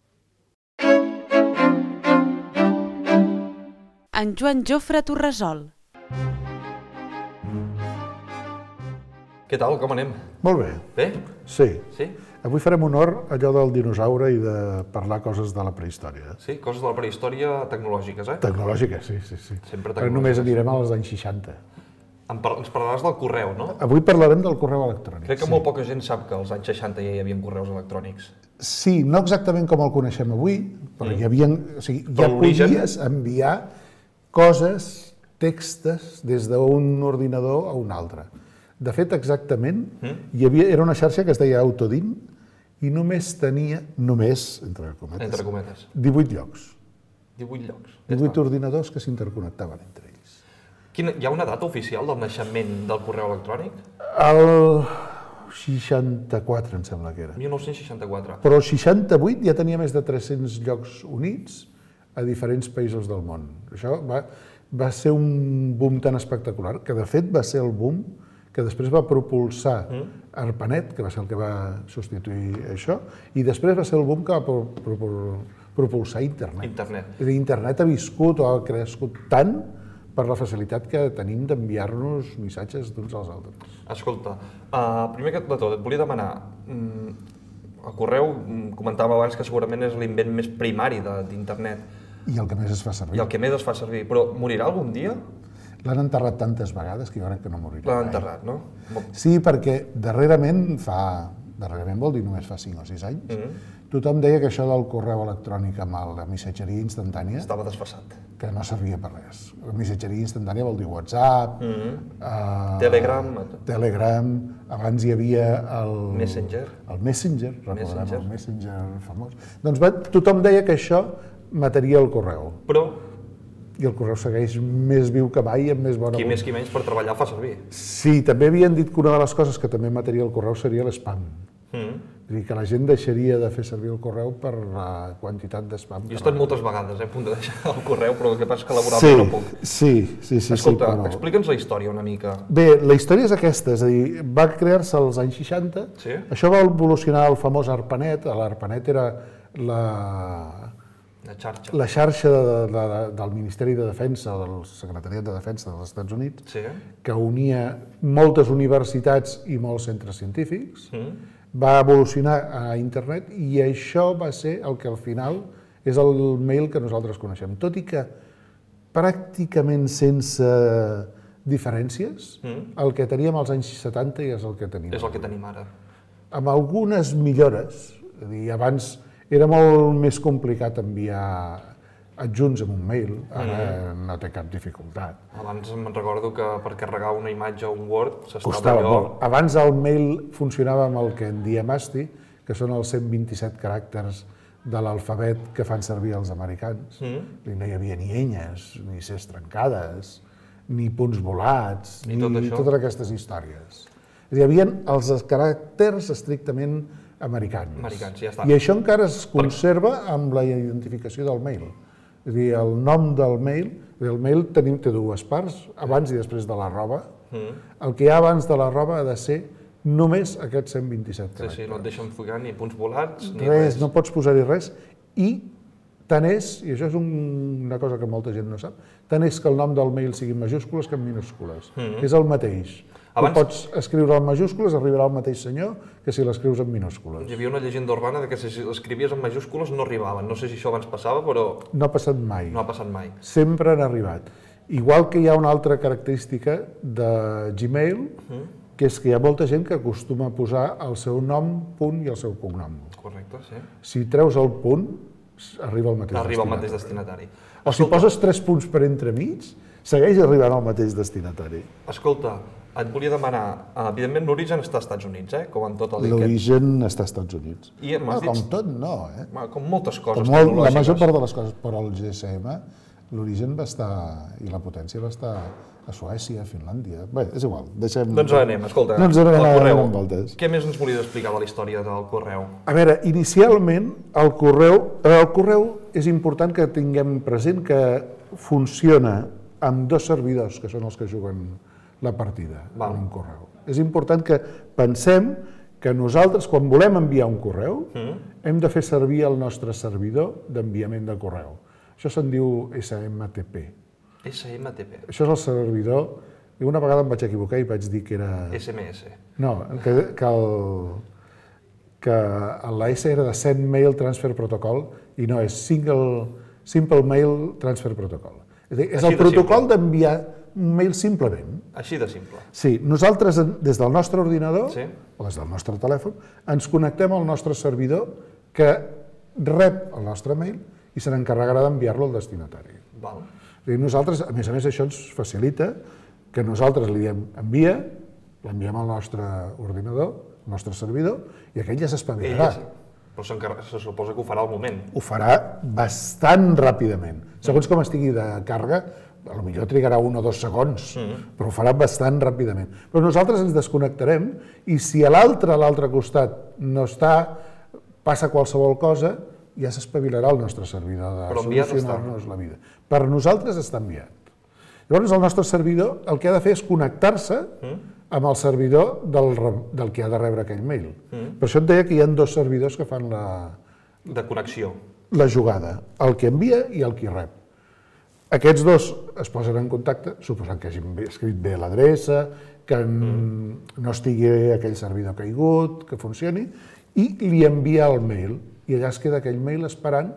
[SPEAKER 1] En Joan Jofre Torresol.
[SPEAKER 5] Què tal, com anem?
[SPEAKER 6] Molt bé.
[SPEAKER 5] Bé?
[SPEAKER 6] Sí.
[SPEAKER 5] Sí?
[SPEAKER 6] Avui farem honor a allò del dinosaure i de parlar coses de la prehistòria.
[SPEAKER 5] Sí, coses de la prehistòria tecnològiques, eh?
[SPEAKER 6] Tecnològiques, sí, sí, sí.
[SPEAKER 5] Sempre
[SPEAKER 6] Però només anirem als anys seixanta.
[SPEAKER 5] En par ens parlaràs del correu, no?
[SPEAKER 6] Avui parlarem del correu electrònic.
[SPEAKER 5] Crec que
[SPEAKER 6] sí.
[SPEAKER 5] molt poca gent sap que als anys seixanta ja hi havia correus electrònics.
[SPEAKER 6] Sí, no exactament com el coneixem avui, però mm. hi havia, o sigui, ja podies enviar coses, textes, des d'un ordinador a un altre. De fet, exactament, mm. hi havia, era una xarxa que es deia Autodin i només tenia, només, entre cometes,
[SPEAKER 5] entre cometes.
[SPEAKER 6] divuit llocs.
[SPEAKER 5] divuit llocs.
[SPEAKER 6] divuit ordinadors que s'interconnectaven entre ells.
[SPEAKER 5] Quina, hi ha una data oficial del naixement del correu electrònic?
[SPEAKER 6] El seixanta-quatre, em sembla que era.
[SPEAKER 5] mil nou-cents seixanta-quatre.
[SPEAKER 6] Però el seixanta-vuit ja tenia més de tres-cents llocs units a diferents països del món. Això va, va ser un boom tan espectacular, que de fet va ser el boom que després va propulsar mm. ARPANET, que va ser el que va substituir això, i després va ser el boom que va pro, pro, pro, propulsar Internet.
[SPEAKER 5] Internet.
[SPEAKER 6] Internet ha viscut o ha crescut tant per la facilitat que tenim d'enviar-nos missatges d'uns als altres.
[SPEAKER 5] Escolta, uh, primer de tot, et volia demanar, um, el correu, um, comentàvem abans que segurament és l'invent més primari d'internet.
[SPEAKER 6] I el que més es fa servir.
[SPEAKER 5] I el que més es fa servir, però morirà algun dia?
[SPEAKER 6] L'han enterrat tantes vegades que jo crec que no morirà.
[SPEAKER 5] L'han enterrat, no?
[SPEAKER 6] Sí, perquè darrerament fa... darrerament vol dir només fa cinc o sis anys, mm-hmm. tothom deia que això del correu electrònic amb la missatgeria instantània...
[SPEAKER 5] Estava desfasat.
[SPEAKER 6] Que no servia per res. La missatgeria instantània vol dir WhatsApp...
[SPEAKER 5] Mm-hmm.
[SPEAKER 6] uh,
[SPEAKER 5] Telegram...
[SPEAKER 6] Telegram... Abans hi havia el...
[SPEAKER 5] Messenger.
[SPEAKER 6] El Messenger, recordem
[SPEAKER 5] Messenger.
[SPEAKER 6] el Messenger famós. Doncs va, tothom deia que això mataria el correu.
[SPEAKER 5] Però...
[SPEAKER 6] i el correu segueix més viu que mai i amb més bona...
[SPEAKER 5] Qui més qui menys per treballar fa servir.
[SPEAKER 6] Sí, també havien dit que una de les coses que també mataria el correu seria l'spam.
[SPEAKER 5] Mm.
[SPEAKER 6] És a dir, que la gent deixaria de fer servir el correu per la quantitat d'espam.
[SPEAKER 5] Jo he estat moltes vegades eh, a punt de deixar el correu, però el que passa és que laboralment no puc.
[SPEAKER 6] Sí, sí, sí.
[SPEAKER 5] Escolta,
[SPEAKER 6] sí, però...
[SPEAKER 5] explica'ns la història una mica.
[SPEAKER 6] Bé, la història és aquesta, és a dir, va crear-se als anys seixanta,
[SPEAKER 5] Sí?
[SPEAKER 6] això va evolucionar el famós ARPANET, l'ARPANET era la,
[SPEAKER 5] La xarxa.
[SPEAKER 6] la xarxa de, de, de, del Ministeri de Defensa, del Secretariat de Defensa dels Estats Units,
[SPEAKER 5] Sí?
[SPEAKER 6] que unia moltes universitats i molts centres científics,
[SPEAKER 5] Mm.
[SPEAKER 6] va evolucionar a internet i això va ser el que al final és el mail que nosaltres coneixem. Tot i que pràcticament sense diferències,
[SPEAKER 5] Mm.
[SPEAKER 6] el que teníem als anys setanta ja és el que tenim.
[SPEAKER 5] És el que tenim ara.
[SPEAKER 6] Amb algunes millores. És a dir, abans era molt més complicat enviar adjunts en un mail, ara
[SPEAKER 5] Mm.
[SPEAKER 6] no té cap dificultat.
[SPEAKER 5] Abans me'n recordo que per carregar una imatge o un Word s'estava
[SPEAKER 6] Costava
[SPEAKER 5] allò...
[SPEAKER 6] molt. Abans el mail funcionava amb el que en diem A S C I I, que són els cent vint-i-set caràcters de l'alfabet que fan servir els americans.
[SPEAKER 5] Mm.
[SPEAKER 6] I no hi havia ni enyes, ni ces trencades, ni punts volats,
[SPEAKER 5] Ni
[SPEAKER 6] ni,
[SPEAKER 5] tot això.
[SPEAKER 6] totes aquestes històries. Hi havia els caràcters estrictament americans.
[SPEAKER 5] Americans, ja està.
[SPEAKER 6] I això encara es conserva amb la identificació del mail. És a dir, el nom del mail, el mail tenim, té dues parts, abans i després de l'arroba.
[SPEAKER 5] Mm.
[SPEAKER 6] El que hi ha abans de l'arroba ha de ser només aquests cent vint-i-set
[SPEAKER 5] Sí,
[SPEAKER 6] caràcters.
[SPEAKER 5] sí, no et deixen ficar ni punts volats ni
[SPEAKER 6] Res,
[SPEAKER 5] res.
[SPEAKER 6] no pots posar-hi res. I tant és, i això és un, una cosa que molta gent no sap, tant és que el nom del mail sigui en majúscules que en minúscules.
[SPEAKER 5] Mm.
[SPEAKER 6] És el mateix.
[SPEAKER 5] Abans-
[SPEAKER 6] Tu pots escriure en majúscules, arribarà al mateix senyor que si l'escrius en minúscules.
[SPEAKER 5] Hi havia una llegenda urbana de que si l'escrivies en majúscules no arribaven. No sé si això abans passava, però
[SPEAKER 6] No ha passat mai.
[SPEAKER 5] no ha passat mai.
[SPEAKER 6] Sempre han arribat. Igual que hi ha una altra característica de Gmail,
[SPEAKER 5] Mm.
[SPEAKER 6] que és que hi ha molta gent que acostuma a posar el seu nom, punt i el seu cognom.
[SPEAKER 5] Correcte, sí.
[SPEAKER 6] Si treus el punt, arriba al mateix
[SPEAKER 5] Arriba al
[SPEAKER 6] destinatari.
[SPEAKER 5] mateix destinatari.
[SPEAKER 6] O si poses tres punts per entremig, segueix arribant al mateix destinatari.
[SPEAKER 5] Escolta, et volia demanar, evidentment l'origen està als Estats Units, eh? Com en tot el que...
[SPEAKER 6] L'origen està als Estats Units.
[SPEAKER 5] I m'has
[SPEAKER 6] No,
[SPEAKER 5] dit-
[SPEAKER 6] com tot, no, eh?
[SPEAKER 5] Bueno, com moltes coses
[SPEAKER 6] Com molt, la
[SPEAKER 5] tecnològiques.
[SPEAKER 6] major part de les coses, però el G S M, l'origen va estar, i la potència va estar a Suècia, a Finlàndia. Bé, és igual, deixem...
[SPEAKER 5] Doncs anem, escolta,
[SPEAKER 6] No ens anem
[SPEAKER 5] el
[SPEAKER 6] a
[SPEAKER 5] correu.
[SPEAKER 6] donar voltes.
[SPEAKER 5] Què més ens volies explicar de la història del correu?
[SPEAKER 6] A veure, inicialment el correu, el correu és important que tinguem present que funciona amb dos servidors, que són els que juguen la partida
[SPEAKER 5] Val.
[SPEAKER 6] en un correu. És important que pensem que nosaltres, quan volem enviar un correu,
[SPEAKER 5] Mm.
[SPEAKER 6] hem de fer servir el nostre servidor d'enviament de correu. Això se'n diu S M T P.
[SPEAKER 5] S M T P,
[SPEAKER 6] Això és el servidor... I una vegada em vaig equivocar i vaig dir que era...
[SPEAKER 5] S M S.
[SPEAKER 6] No, que, que, el, que la S era de Send Mail Transfer Protocol i no, és Single, Simple Mail Transfer Protocol. És, a dir, és
[SPEAKER 5] Així
[SPEAKER 6] el
[SPEAKER 5] de
[SPEAKER 6] protocol
[SPEAKER 5] simple.
[SPEAKER 6] d'enviar un mail simplement.
[SPEAKER 5] Així de simple.
[SPEAKER 6] Sí, nosaltres en- des del nostre ordinador
[SPEAKER 5] Sí.
[SPEAKER 6] o des del nostre telèfon ens connectem al nostre servidor que rep el nostre mail i se n'encarregarà d'enviar-lo al destinatari.
[SPEAKER 5] Val.
[SPEAKER 6] És a dir, nosaltres, a més a més, això ens facilita que nosaltres li diem envia, l'enviem al nostre ordinador, al nostre servidor, i aquell ja s'espavilarà.
[SPEAKER 5] Ell, però s'encarre- se suposa que ho farà al moment.
[SPEAKER 6] Ho farà bastant ràpidament. Segons com estigui de càrrega, potser trigarà un o dos segons,
[SPEAKER 5] Mm.
[SPEAKER 6] però ho farà bastant ràpidament. Però nosaltres ens desconnectarem i si a l'altre, a l'altre costat, no està, passa qualsevol cosa, ja s'espavilarà el nostre servidor de
[SPEAKER 5] Però enviat
[SPEAKER 6] solucionar-nos la vida. Per nosaltres està enviat. Llavors el nostre servidor el que ha de fer és connectar-se amb el servidor del, re- del que ha de rebre aquell mail.
[SPEAKER 5] Mm.
[SPEAKER 6] Per això et deia que hi ha dos servidors que fan la,
[SPEAKER 5] De connexió.
[SPEAKER 6] la jugada, el que envia i el que rep. Aquests dos es posen en contacte, suposant que hagin escrit bé l'adreça, que mm. no estigui aquell servidor caigut, que funcioni, i li envia el mail. I allà es queda aquell mail esperant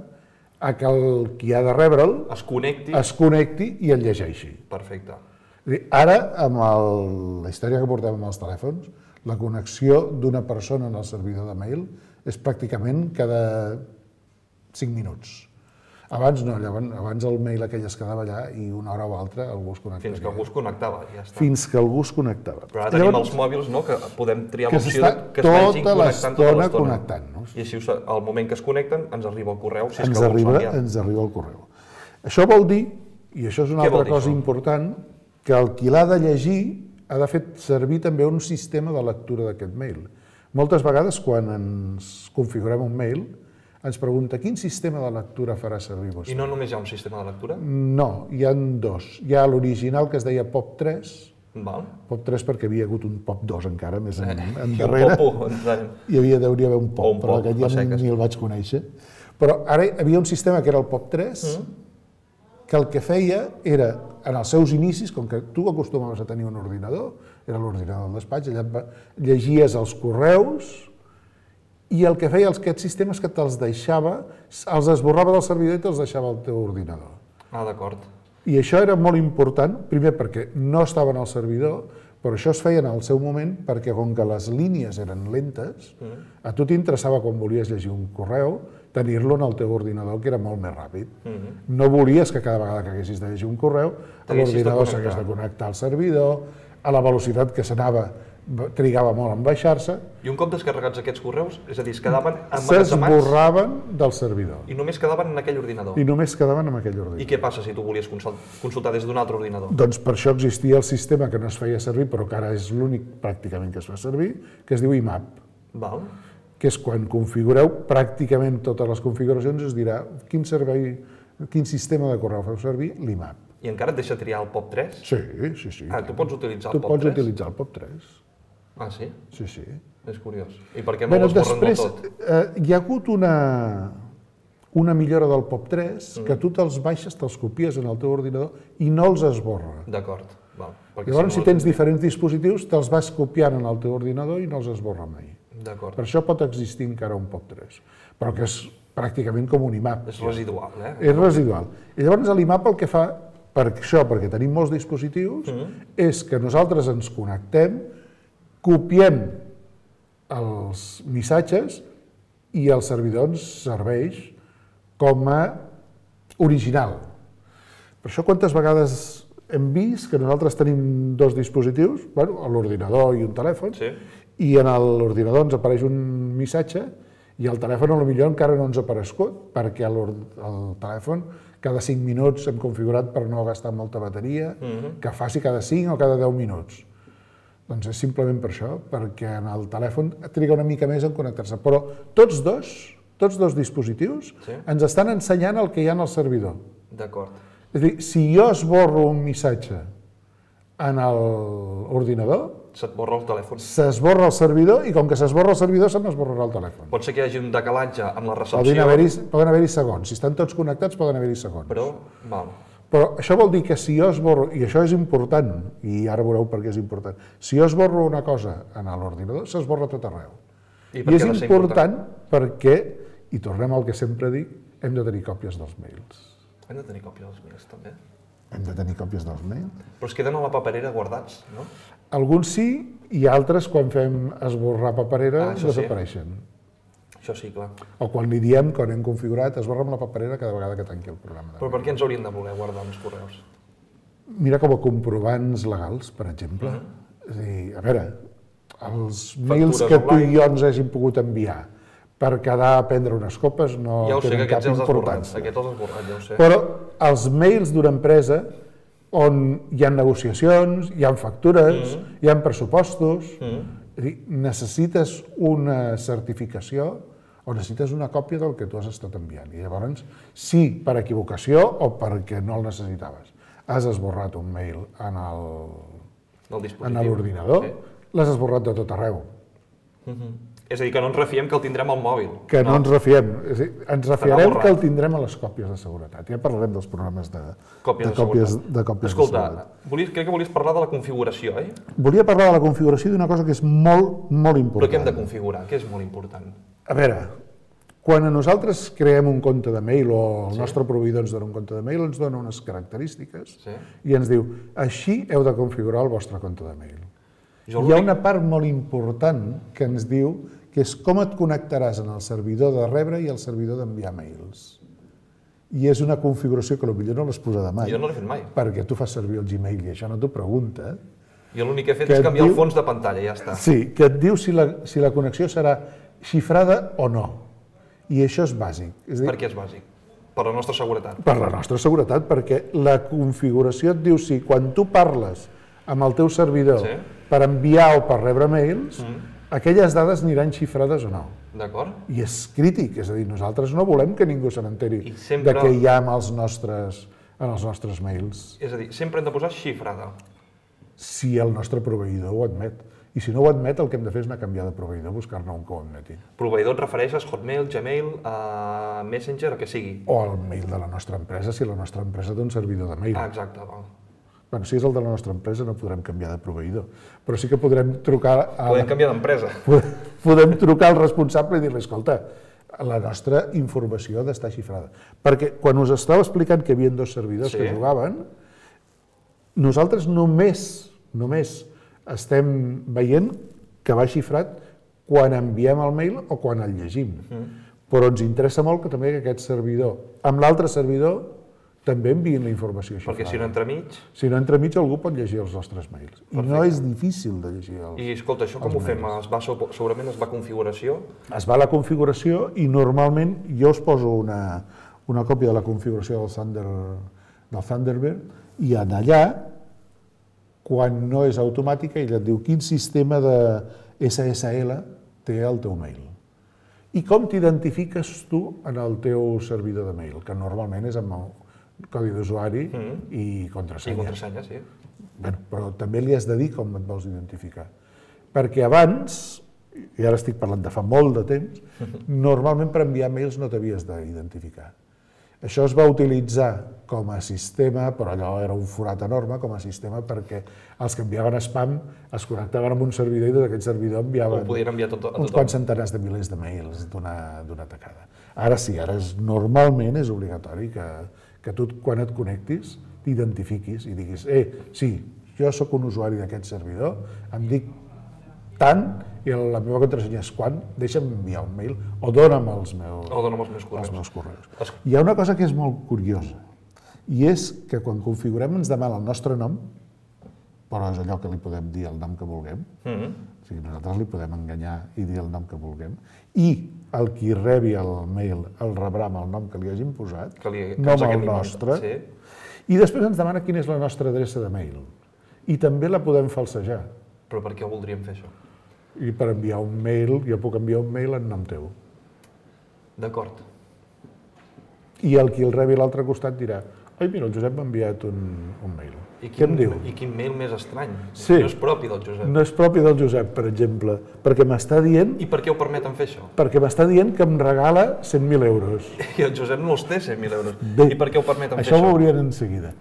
[SPEAKER 6] a que el qui ha de rebre'l
[SPEAKER 5] Es connecti.
[SPEAKER 6] es connecti i el llegeixi.
[SPEAKER 5] Perfecte.
[SPEAKER 6] És a dir, ara, amb el, la història que portem amb els telèfons, la connexió d'una persona en el servidor de mail és pràcticament cada cinc minuts. Abans no, llavors, abans el mail aquell es quedava allà i una hora o altra algú es connectava.
[SPEAKER 5] Fins que algú es connectava, ja està.
[SPEAKER 6] Fins que algú es connectava.
[SPEAKER 5] Però ara tenim els mòbils, no?, que podem triar
[SPEAKER 6] que
[SPEAKER 5] l'opció
[SPEAKER 6] s'està
[SPEAKER 5] que es vagin
[SPEAKER 6] tota
[SPEAKER 5] connectant tota
[SPEAKER 6] l'estona
[SPEAKER 5] l'estona.
[SPEAKER 6] connectant-nos.
[SPEAKER 5] I així, al moment que es connecten, ens arriba el correu, si és
[SPEAKER 6] ens
[SPEAKER 5] que algú
[SPEAKER 6] arriba,
[SPEAKER 5] s'ha enviat.
[SPEAKER 6] ens arriba el correu. Això vol dir I això és una altra cosa important, que el qui l'ha de llegir ha de fer servir també un sistema de lectura d'aquest mail. Moltes vegades, quan ens configurem un mail, ens pregunta quin sistema de lectura farà servir vostè.
[SPEAKER 5] I no només hi ha un sistema de lectura?
[SPEAKER 6] No, hi ha dos. Hi ha l'original que es deia P O P tres,
[SPEAKER 5] Val.
[SPEAKER 6] P O P tres perquè hi havia hagut un P O P dos encara, més en,
[SPEAKER 5] Eh,
[SPEAKER 6] en
[SPEAKER 5] i un
[SPEAKER 6] darrere.
[SPEAKER 5] popo, entenem.
[SPEAKER 6] Hi havia, hauria d'haver un P
[SPEAKER 5] O
[SPEAKER 6] O
[SPEAKER 5] un
[SPEAKER 6] P, però
[SPEAKER 5] pop,
[SPEAKER 6] aquest ja
[SPEAKER 5] a seques.
[SPEAKER 6] ni el vaig conèixer. Però ara hi havia un sistema que era el P O P tres, que el que feia era, en els seus inicis, com que tu acostumaves a tenir un ordinador, era l'ordinador del despatx, allà et va- llegies els correus, i el que feia aquest sistema és que te'ls deixava, els esborrava del servidor i te'ls deixava al teu ordinador.
[SPEAKER 5] Ah, d'acord.
[SPEAKER 6] I això era molt important, primer perquè no estaven al servidor, però això es feia en el seu moment perquè com que les línies eren lentes, a tu t'interessava quan volies llegir un correu, tenir-lo en el teu ordinador, que era molt més ràpid. No volies que cada vegada que haguessis de llegir un correu,
[SPEAKER 5] T'haguessis de
[SPEAKER 6] l'ordinador
[SPEAKER 5] connectar.
[SPEAKER 6] s'hagués de connectar al servidor, a la velocitat que s'anava, trigava molt en baixar-se,
[SPEAKER 5] I un cop descarregats aquests correus, és a dir, es quedaven emmagatzemats
[SPEAKER 6] s'esborraven del servidor
[SPEAKER 5] i només quedaven en aquell ordinador.
[SPEAKER 6] i només quedaven en aquell
[SPEAKER 5] I
[SPEAKER 6] ordinador.
[SPEAKER 5] què passa si tu volies consult- consultar des d'un altre ordinador?
[SPEAKER 6] Doncs per això existia el sistema que no es feia servir, però que ara és l'únic pràcticament que es fa servir, que es diu I M A P,
[SPEAKER 5] Val.
[SPEAKER 6] que és quan configureu pràcticament totes les configuracions, es dirà quin servei, quin sistema de correu feu servir, l'I M A P.
[SPEAKER 5] I encara et deixa triar el P O P tres?
[SPEAKER 6] Sí, sí, sí.
[SPEAKER 5] Ah, tu pots utilitzar
[SPEAKER 6] Tu
[SPEAKER 5] el P O P
[SPEAKER 6] pots
[SPEAKER 5] tres?
[SPEAKER 6] utilitzar el P O P tres.
[SPEAKER 5] Ah, sí?
[SPEAKER 6] Sí, sí.
[SPEAKER 5] És curiós. I per què no
[SPEAKER 6] Bueno,
[SPEAKER 5] ho esborren
[SPEAKER 6] després,
[SPEAKER 5] del tot?
[SPEAKER 6] eh, hi ha hagut una, una millora del P O P tres, que tu te'ls baixes, te'ls copies en el teu ordinador i no els esborra.
[SPEAKER 5] D'acord. Val. Perquè
[SPEAKER 6] Llavors, si
[SPEAKER 5] no-
[SPEAKER 6] tens diferents dispositius, te'ls vas copiant en el teu ordinador i no els esborra mai.
[SPEAKER 5] D'acord.
[SPEAKER 6] Per això pot existir encara un P O P tres, però que és pràcticament com un I M A P.
[SPEAKER 5] És residual, eh?
[SPEAKER 6] És residual. I llavors l'I M A P el que fa, per això, perquè tenim molts dispositius, és que nosaltres ens connectem, copiem els missatges i el servidor ens serveix com a original. Per això quantes vegades hem vist que nosaltres tenim dos dispositius, bueno, l'ordinador i un telèfon,
[SPEAKER 5] Sí.
[SPEAKER 6] i en l'ordinador ens apareix un missatge i al telèfon potser encara no ens ha aparegut, perquè el telèfon cada cinc minuts hem configurat per no gastar molta bateria, que faci cada cinc o cada deu minuts. Doncs és simplement per això, perquè en el telèfon triga una mica més en connectar-se. Però tots dos, tots dos dispositius
[SPEAKER 5] Sí.
[SPEAKER 6] ens estan ensenyant el que hi ha en el servidor.
[SPEAKER 5] D'acord.
[SPEAKER 6] És a dir, si jo esborro un missatge en l'ordinador,
[SPEAKER 5] Se't borra el telèfon.
[SPEAKER 6] s'esborra el servidor i com que s'esborra el servidor se m'esborrarà el telèfon.
[SPEAKER 5] Pot ser que hi hagi un decalatge amb la
[SPEAKER 6] Poden
[SPEAKER 5] recepció,
[SPEAKER 6] haver-hi poden haver-hi segons. Si estan tots connectats poden haver-hi segons.
[SPEAKER 5] però... Val.
[SPEAKER 6] Però això vol dir que si jo esborro, i això és important, i ara veureu per què és important, si jo esborro una cosa en l'ordinador, s'esborra tot arreu.
[SPEAKER 5] I
[SPEAKER 6] I,
[SPEAKER 5] per
[SPEAKER 6] és
[SPEAKER 5] què ha de ser
[SPEAKER 6] important perquè, i tornem al que sempre dic, hem de tenir còpies dels mails.
[SPEAKER 5] Hem de tenir còpia dels mails, també.
[SPEAKER 6] Hem de tenir còpies dels mails.
[SPEAKER 5] Però es queden a la paperera guardats, no?
[SPEAKER 6] Alguns sí, i altres, quan fem esborrar paperera,
[SPEAKER 5] Ah, això sí.
[SPEAKER 6] desapareixen.
[SPEAKER 5] Això sí, clar.
[SPEAKER 6] O quan li diem, quan hem configurat, esborra'm la paperera cada vegada que tanqui el programa.
[SPEAKER 5] Però per què ens haurien de voler guardar uns correus?
[SPEAKER 6] Mira com a comprovants legals, per exemple. És a dir, a veure, els mails que tu i jo ens hàgim pogut enviar per quedar a prendre unes copes no
[SPEAKER 5] Ja ho sé, que
[SPEAKER 6] tenen cap
[SPEAKER 5] aquests ja els has borrat.
[SPEAKER 6] importància.
[SPEAKER 5] Aquests els has borrat, ja ho sé.
[SPEAKER 6] Però els mails d'una empresa on hi ha negociacions, hi ha factures, hi ha pressupostos, és a dir, necessites una certificació o necessites una còpia del que tu has estat enviant. I llavors, si per equivocació o perquè no el necessitaves, has esborrat un mail en el,
[SPEAKER 5] Del
[SPEAKER 6] en
[SPEAKER 5] dispositiu.
[SPEAKER 6] l'ordinador,
[SPEAKER 5] Sí.
[SPEAKER 6] l'has esborrat de tot arreu.
[SPEAKER 5] És a dir, que no ens refiem que el tindrem al mòbil.
[SPEAKER 6] Que no, ens refiem. És a dir, ens refiarem
[SPEAKER 5] borrat.
[SPEAKER 6] que el tindrem a les còpies de seguretat. Ja parlarem dels programes de,
[SPEAKER 5] Còpies
[SPEAKER 6] de
[SPEAKER 5] de
[SPEAKER 6] còpies,
[SPEAKER 5] seguretat.
[SPEAKER 6] de còpies de
[SPEAKER 5] Escolta,
[SPEAKER 6] seguretat.
[SPEAKER 5] volies, crec que volies parlar de la configuració, oi?
[SPEAKER 6] Volia parlar de la configuració d'una cosa que és molt, molt
[SPEAKER 5] Però
[SPEAKER 6] important.
[SPEAKER 5] què hem de configurar? Què és molt important?
[SPEAKER 6] A veure, quan a nosaltres creem un compte de mail o el sí. nostre proveïdor ens dona un compte de mail, ens dona unes característiques
[SPEAKER 5] Sí.
[SPEAKER 6] i ens diu, així heu de configurar el vostre compte de mail.
[SPEAKER 5] Jo
[SPEAKER 6] Hi ha
[SPEAKER 5] l'únic-
[SPEAKER 6] una part molt important que ens diu que és com et connectaràs en el servidor de rebre i el servidor d'enviar mails. I és una configuració que potser no l'has posada mai.
[SPEAKER 5] Jo no l'he fet mai.
[SPEAKER 6] Perquè tu fas servir el Gmail i això no t'ho pregunta.
[SPEAKER 5] Jo l'únic que he fet
[SPEAKER 6] Que
[SPEAKER 5] és
[SPEAKER 6] et
[SPEAKER 5] canviar
[SPEAKER 6] diu-
[SPEAKER 5] el fons de pantalla, ja està.
[SPEAKER 6] Sí, que et diu si la, si la connexió serà xifrada o no. I això és bàsic. És a dir,
[SPEAKER 5] Per què és bàsic? Per la nostra seguretat.
[SPEAKER 6] Per la nostra seguretat, perquè la configuració et diu si quan tu parles amb el teu servidor
[SPEAKER 5] Sí.
[SPEAKER 6] per enviar o per rebre mails, aquelles dades aniran xifrades o no.
[SPEAKER 5] D'acord?
[SPEAKER 6] I és crític, és a dir, nosaltres no volem que ningú se n'enteri
[SPEAKER 5] I sempre-
[SPEAKER 6] de què hi ha amb els nostres, en els nostres mails,
[SPEAKER 5] És a dir, sempre hem de posar xifrada.
[SPEAKER 6] si el nostre proveïdor ho admet. I si no ho admet, el que hem de fer és anar a canviar de proveïdor, buscar-ne un que ho admeti.
[SPEAKER 5] Proveïdor et refereixes Hotmail, Gmail, a Messenger, el que sigui.
[SPEAKER 6] O el mail de la nostra empresa, si la nostra empresa té un servidor de mail.
[SPEAKER 5] Ah, exacte, val.
[SPEAKER 6] Bueno, si és el de la nostra empresa no podrem canviar de proveïdor, però sí que podrem trucar a...
[SPEAKER 5] Podem canviar d'empresa.
[SPEAKER 6] Podem trucar al responsable i dir-li, escolta, la nostra informació ha d'estar xifrada. Perquè quan us estava explicant que hi havia dos servidors
[SPEAKER 5] Sí.
[SPEAKER 6] que jugaven, nosaltres només, només estem veient que va xifrat quan enviem el mail o quan el llegim. Però ens interessa molt que també aquest servidor, amb l'altre servidor, també enviïn la informació xifrada.
[SPEAKER 5] Perquè si no entremig...
[SPEAKER 6] Si no entremig algú pot llegir els nostres mails. I no és difícil de llegir els...
[SPEAKER 5] I escolta, això com ho fem? Es va, segurament es va a configuració?
[SPEAKER 6] Es va a la configuració i normalment jo us poso una, una còpia de la configuració del, Thunder, del Thunderbird i en allà, quan no és automàtica, ella et diu quin sistema de S S L té el teu mail. I com t'identifiques tu en el teu servidor de mail, que normalment és amb el codi d'usuari mm. i contrasenya.
[SPEAKER 5] I contrasenya, sí.
[SPEAKER 6] Bueno, però també li has de dir com et vols identificar. Perquè abans, i ara estic parlant de fa molt de temps, normalment per enviar mails no t'havies d'identificar. Això es va utilitzar com a sistema, però allò era un forat enorme, com a sistema perquè els que enviaven spam es connectaven amb un servidor i des d'aquest servidor enviaven
[SPEAKER 5] Ho podien enviar tot, a
[SPEAKER 6] uns
[SPEAKER 5] tothom.
[SPEAKER 6] quants centenars de milers de mails d'una tacada. Ara sí, ara és, normalment és obligatori que, que tu quan et connectis t'identifiquis i diguis eh, sí, jo sóc un usuari d'aquest servidor, em dic tant i la meva contrasenya és quan, deixa'm enviar un mail o dona'm els meus,
[SPEAKER 5] O dona'm els meus correus.
[SPEAKER 6] els meus correus.
[SPEAKER 5] Es-
[SPEAKER 6] Hi ha una cosa que és molt curiosa i és que quan configurem ens demana el nostre nom, però és allò que li podem dir el nom que vulguem,
[SPEAKER 5] Mm.
[SPEAKER 6] o sigui, nosaltres li podem enganyar i dir el nom que vulguem, i el qui rebi el mail el rebrà amb el nom que li hagin posat,
[SPEAKER 5] Que li- que
[SPEAKER 6] no
[SPEAKER 5] ens
[SPEAKER 6] amb el
[SPEAKER 5] haguem
[SPEAKER 6] nostre,
[SPEAKER 5] inventat, sí.
[SPEAKER 6] i després ens demana quina és la nostra adreça de mail. I també la podem falsejar.
[SPEAKER 5] Però per què ho voldríem fer, això?
[SPEAKER 6] I per enviar un mail, jo puc enviar un mail en nom teu.
[SPEAKER 5] D'acord.
[SPEAKER 6] I el qui el rebi a l'altre costat dirà ai, mira, el Josep m'ha enviat un, un mail.
[SPEAKER 5] I
[SPEAKER 6] Què em diu?
[SPEAKER 5] I quin mail més estrany.
[SPEAKER 6] Sí.
[SPEAKER 5] No és propi del Josep.
[SPEAKER 6] No és propi del Josep, per exemple, perquè m'està dient,
[SPEAKER 5] I per què ho permeten fer, això?
[SPEAKER 6] perquè m'està dient que em regala cent mil euros.
[SPEAKER 5] I el Josep no els té, cent mil euros.
[SPEAKER 6] Bé,
[SPEAKER 5] I per què ho permeten fer,
[SPEAKER 6] Això ho
[SPEAKER 5] això?
[SPEAKER 6] veurien en seguida.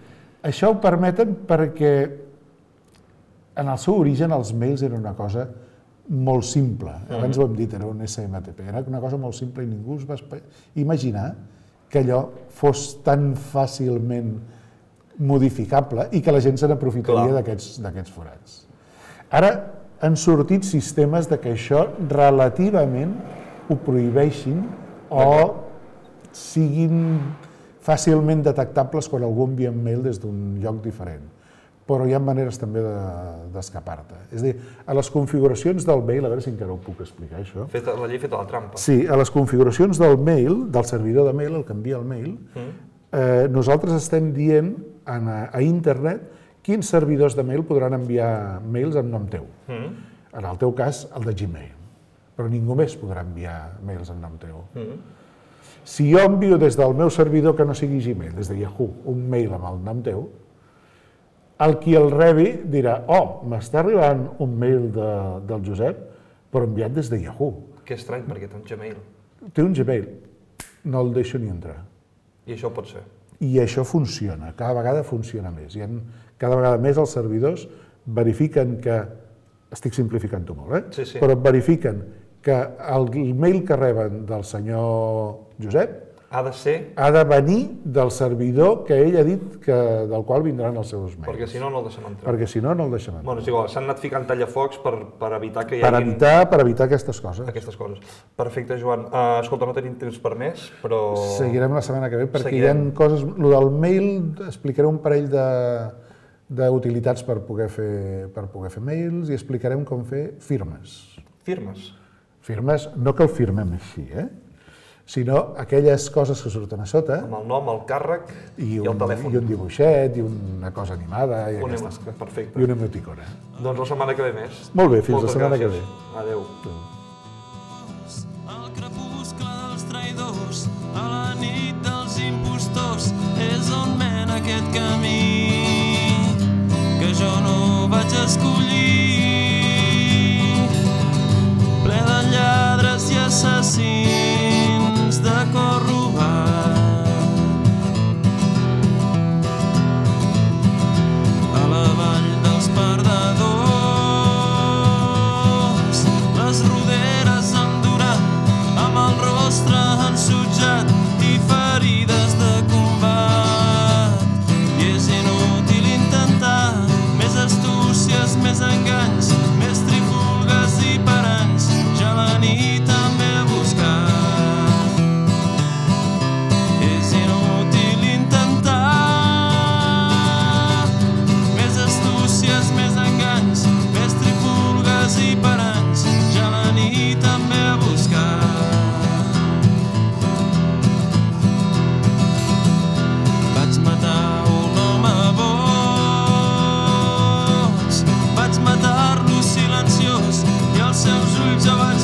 [SPEAKER 6] Això ho permeten perquè en el seu origen els mails eren una cosa molt simple. Abans ho hem dit, era un S M T P. Era una cosa molt simple i ningú es va espe- imaginar que allò fos tan fàcilment modificable i que la gent se n'aprofitaria
[SPEAKER 5] Clar.
[SPEAKER 6] d'aquests d'aquests forats. Ara han sortit sistemes de que això relativament ho prohibeixin o siguin fàcilment detectables quan algú envia un mail des d'un lloc diferent. Però hi ha maneres també de- d'escapar-te. És a dir, a les configuracions del mail, a veure si encara ho puc explicar, això.
[SPEAKER 5] Feta, la llei feta la trampa.
[SPEAKER 6] Sí, a les configuracions del mail, del servidor de mail, el que envia el mail, eh, nosaltres estem dient a, a internet quins servidors de mail podran enviar mails en nom teu. En el teu cas, el de Gmail. Però ningú més podrà enviar mails en nom teu. Si jo envio des del meu servidor que no sigui Gmail, des de Yahoo, un mail amb el nom teu, el qui el rebi dirà oh, m'està arribant un mail de, del Josep, però enviat des de Yahoo.
[SPEAKER 5] Que estrany, perquè té un Gmail.
[SPEAKER 6] Té un Gmail, no el deixo ni entrar.
[SPEAKER 5] I això pot ser.
[SPEAKER 6] I això funciona, cada vegada funciona més. I en, cada vegada més els servidors verifiquen que, estic simplificant-ho molt, eh?
[SPEAKER 5] Sí, sí.
[SPEAKER 6] Però verifiquen que el mail que reben del senyor Josep
[SPEAKER 5] Ha de ser,
[SPEAKER 6] ha de venir del servidor que ell ha dit que, del qual vindran els seus mails.
[SPEAKER 5] perquè si no, no el deixem entrar.
[SPEAKER 6] Perquè si no, no el deixem entrar.
[SPEAKER 5] Bueno, és igual, s'han anat ficant tallafocs per, per evitar que hi
[SPEAKER 6] Per
[SPEAKER 5] hagi
[SPEAKER 6] evitar, per evitar aquestes coses.
[SPEAKER 5] aquestes coses. Perfecte, Joan. Uh, escolta, no tenim temps per més, però...
[SPEAKER 6] Seguirem la setmana que ve perquè
[SPEAKER 5] Seguirem.
[SPEAKER 6] hi ha coses... Lo del mail, explicaré un parell de d'utilitats per poder fer per poder fer mails i explicarem com fer firmes.
[SPEAKER 5] Firmes.
[SPEAKER 6] Firmes, no que el firmem així, eh? sinó aquelles coses que surten a sota
[SPEAKER 5] Amb el nom, el càrrec i,
[SPEAKER 6] i
[SPEAKER 5] el
[SPEAKER 6] un,
[SPEAKER 5] telèfon.
[SPEAKER 6] i un dibuixet i una cosa animada i,
[SPEAKER 5] Un
[SPEAKER 6] aquestes,
[SPEAKER 5] emo- perfecte.
[SPEAKER 6] i una emoticona.
[SPEAKER 5] Doncs la setmana que ve més.
[SPEAKER 6] Molt bé, fins
[SPEAKER 5] Moltes
[SPEAKER 6] la setmana
[SPEAKER 5] gràcies.
[SPEAKER 6] que ve.
[SPEAKER 5] Adéu.
[SPEAKER 7] El crepuscle dels traïdors, a la nit dels impostors, és on mena aquest camí que jo no vaig escollir. Ple de lladres i assassins de cor robat. A la vall dels perdedors, les roderes amb durat, amb el rostre ensutjat i ferides de combat. I és inútil intentar més astúcies, més enganys, més trifulgues i paranys, ja la nit també a buscar. És inútil intentar més astúcies, més enganys, més trifulgues i paranys, ja la nit també a buscar. Vaig matar un home boig, vaig matar-lo silenciós i els seus ulls jo vaig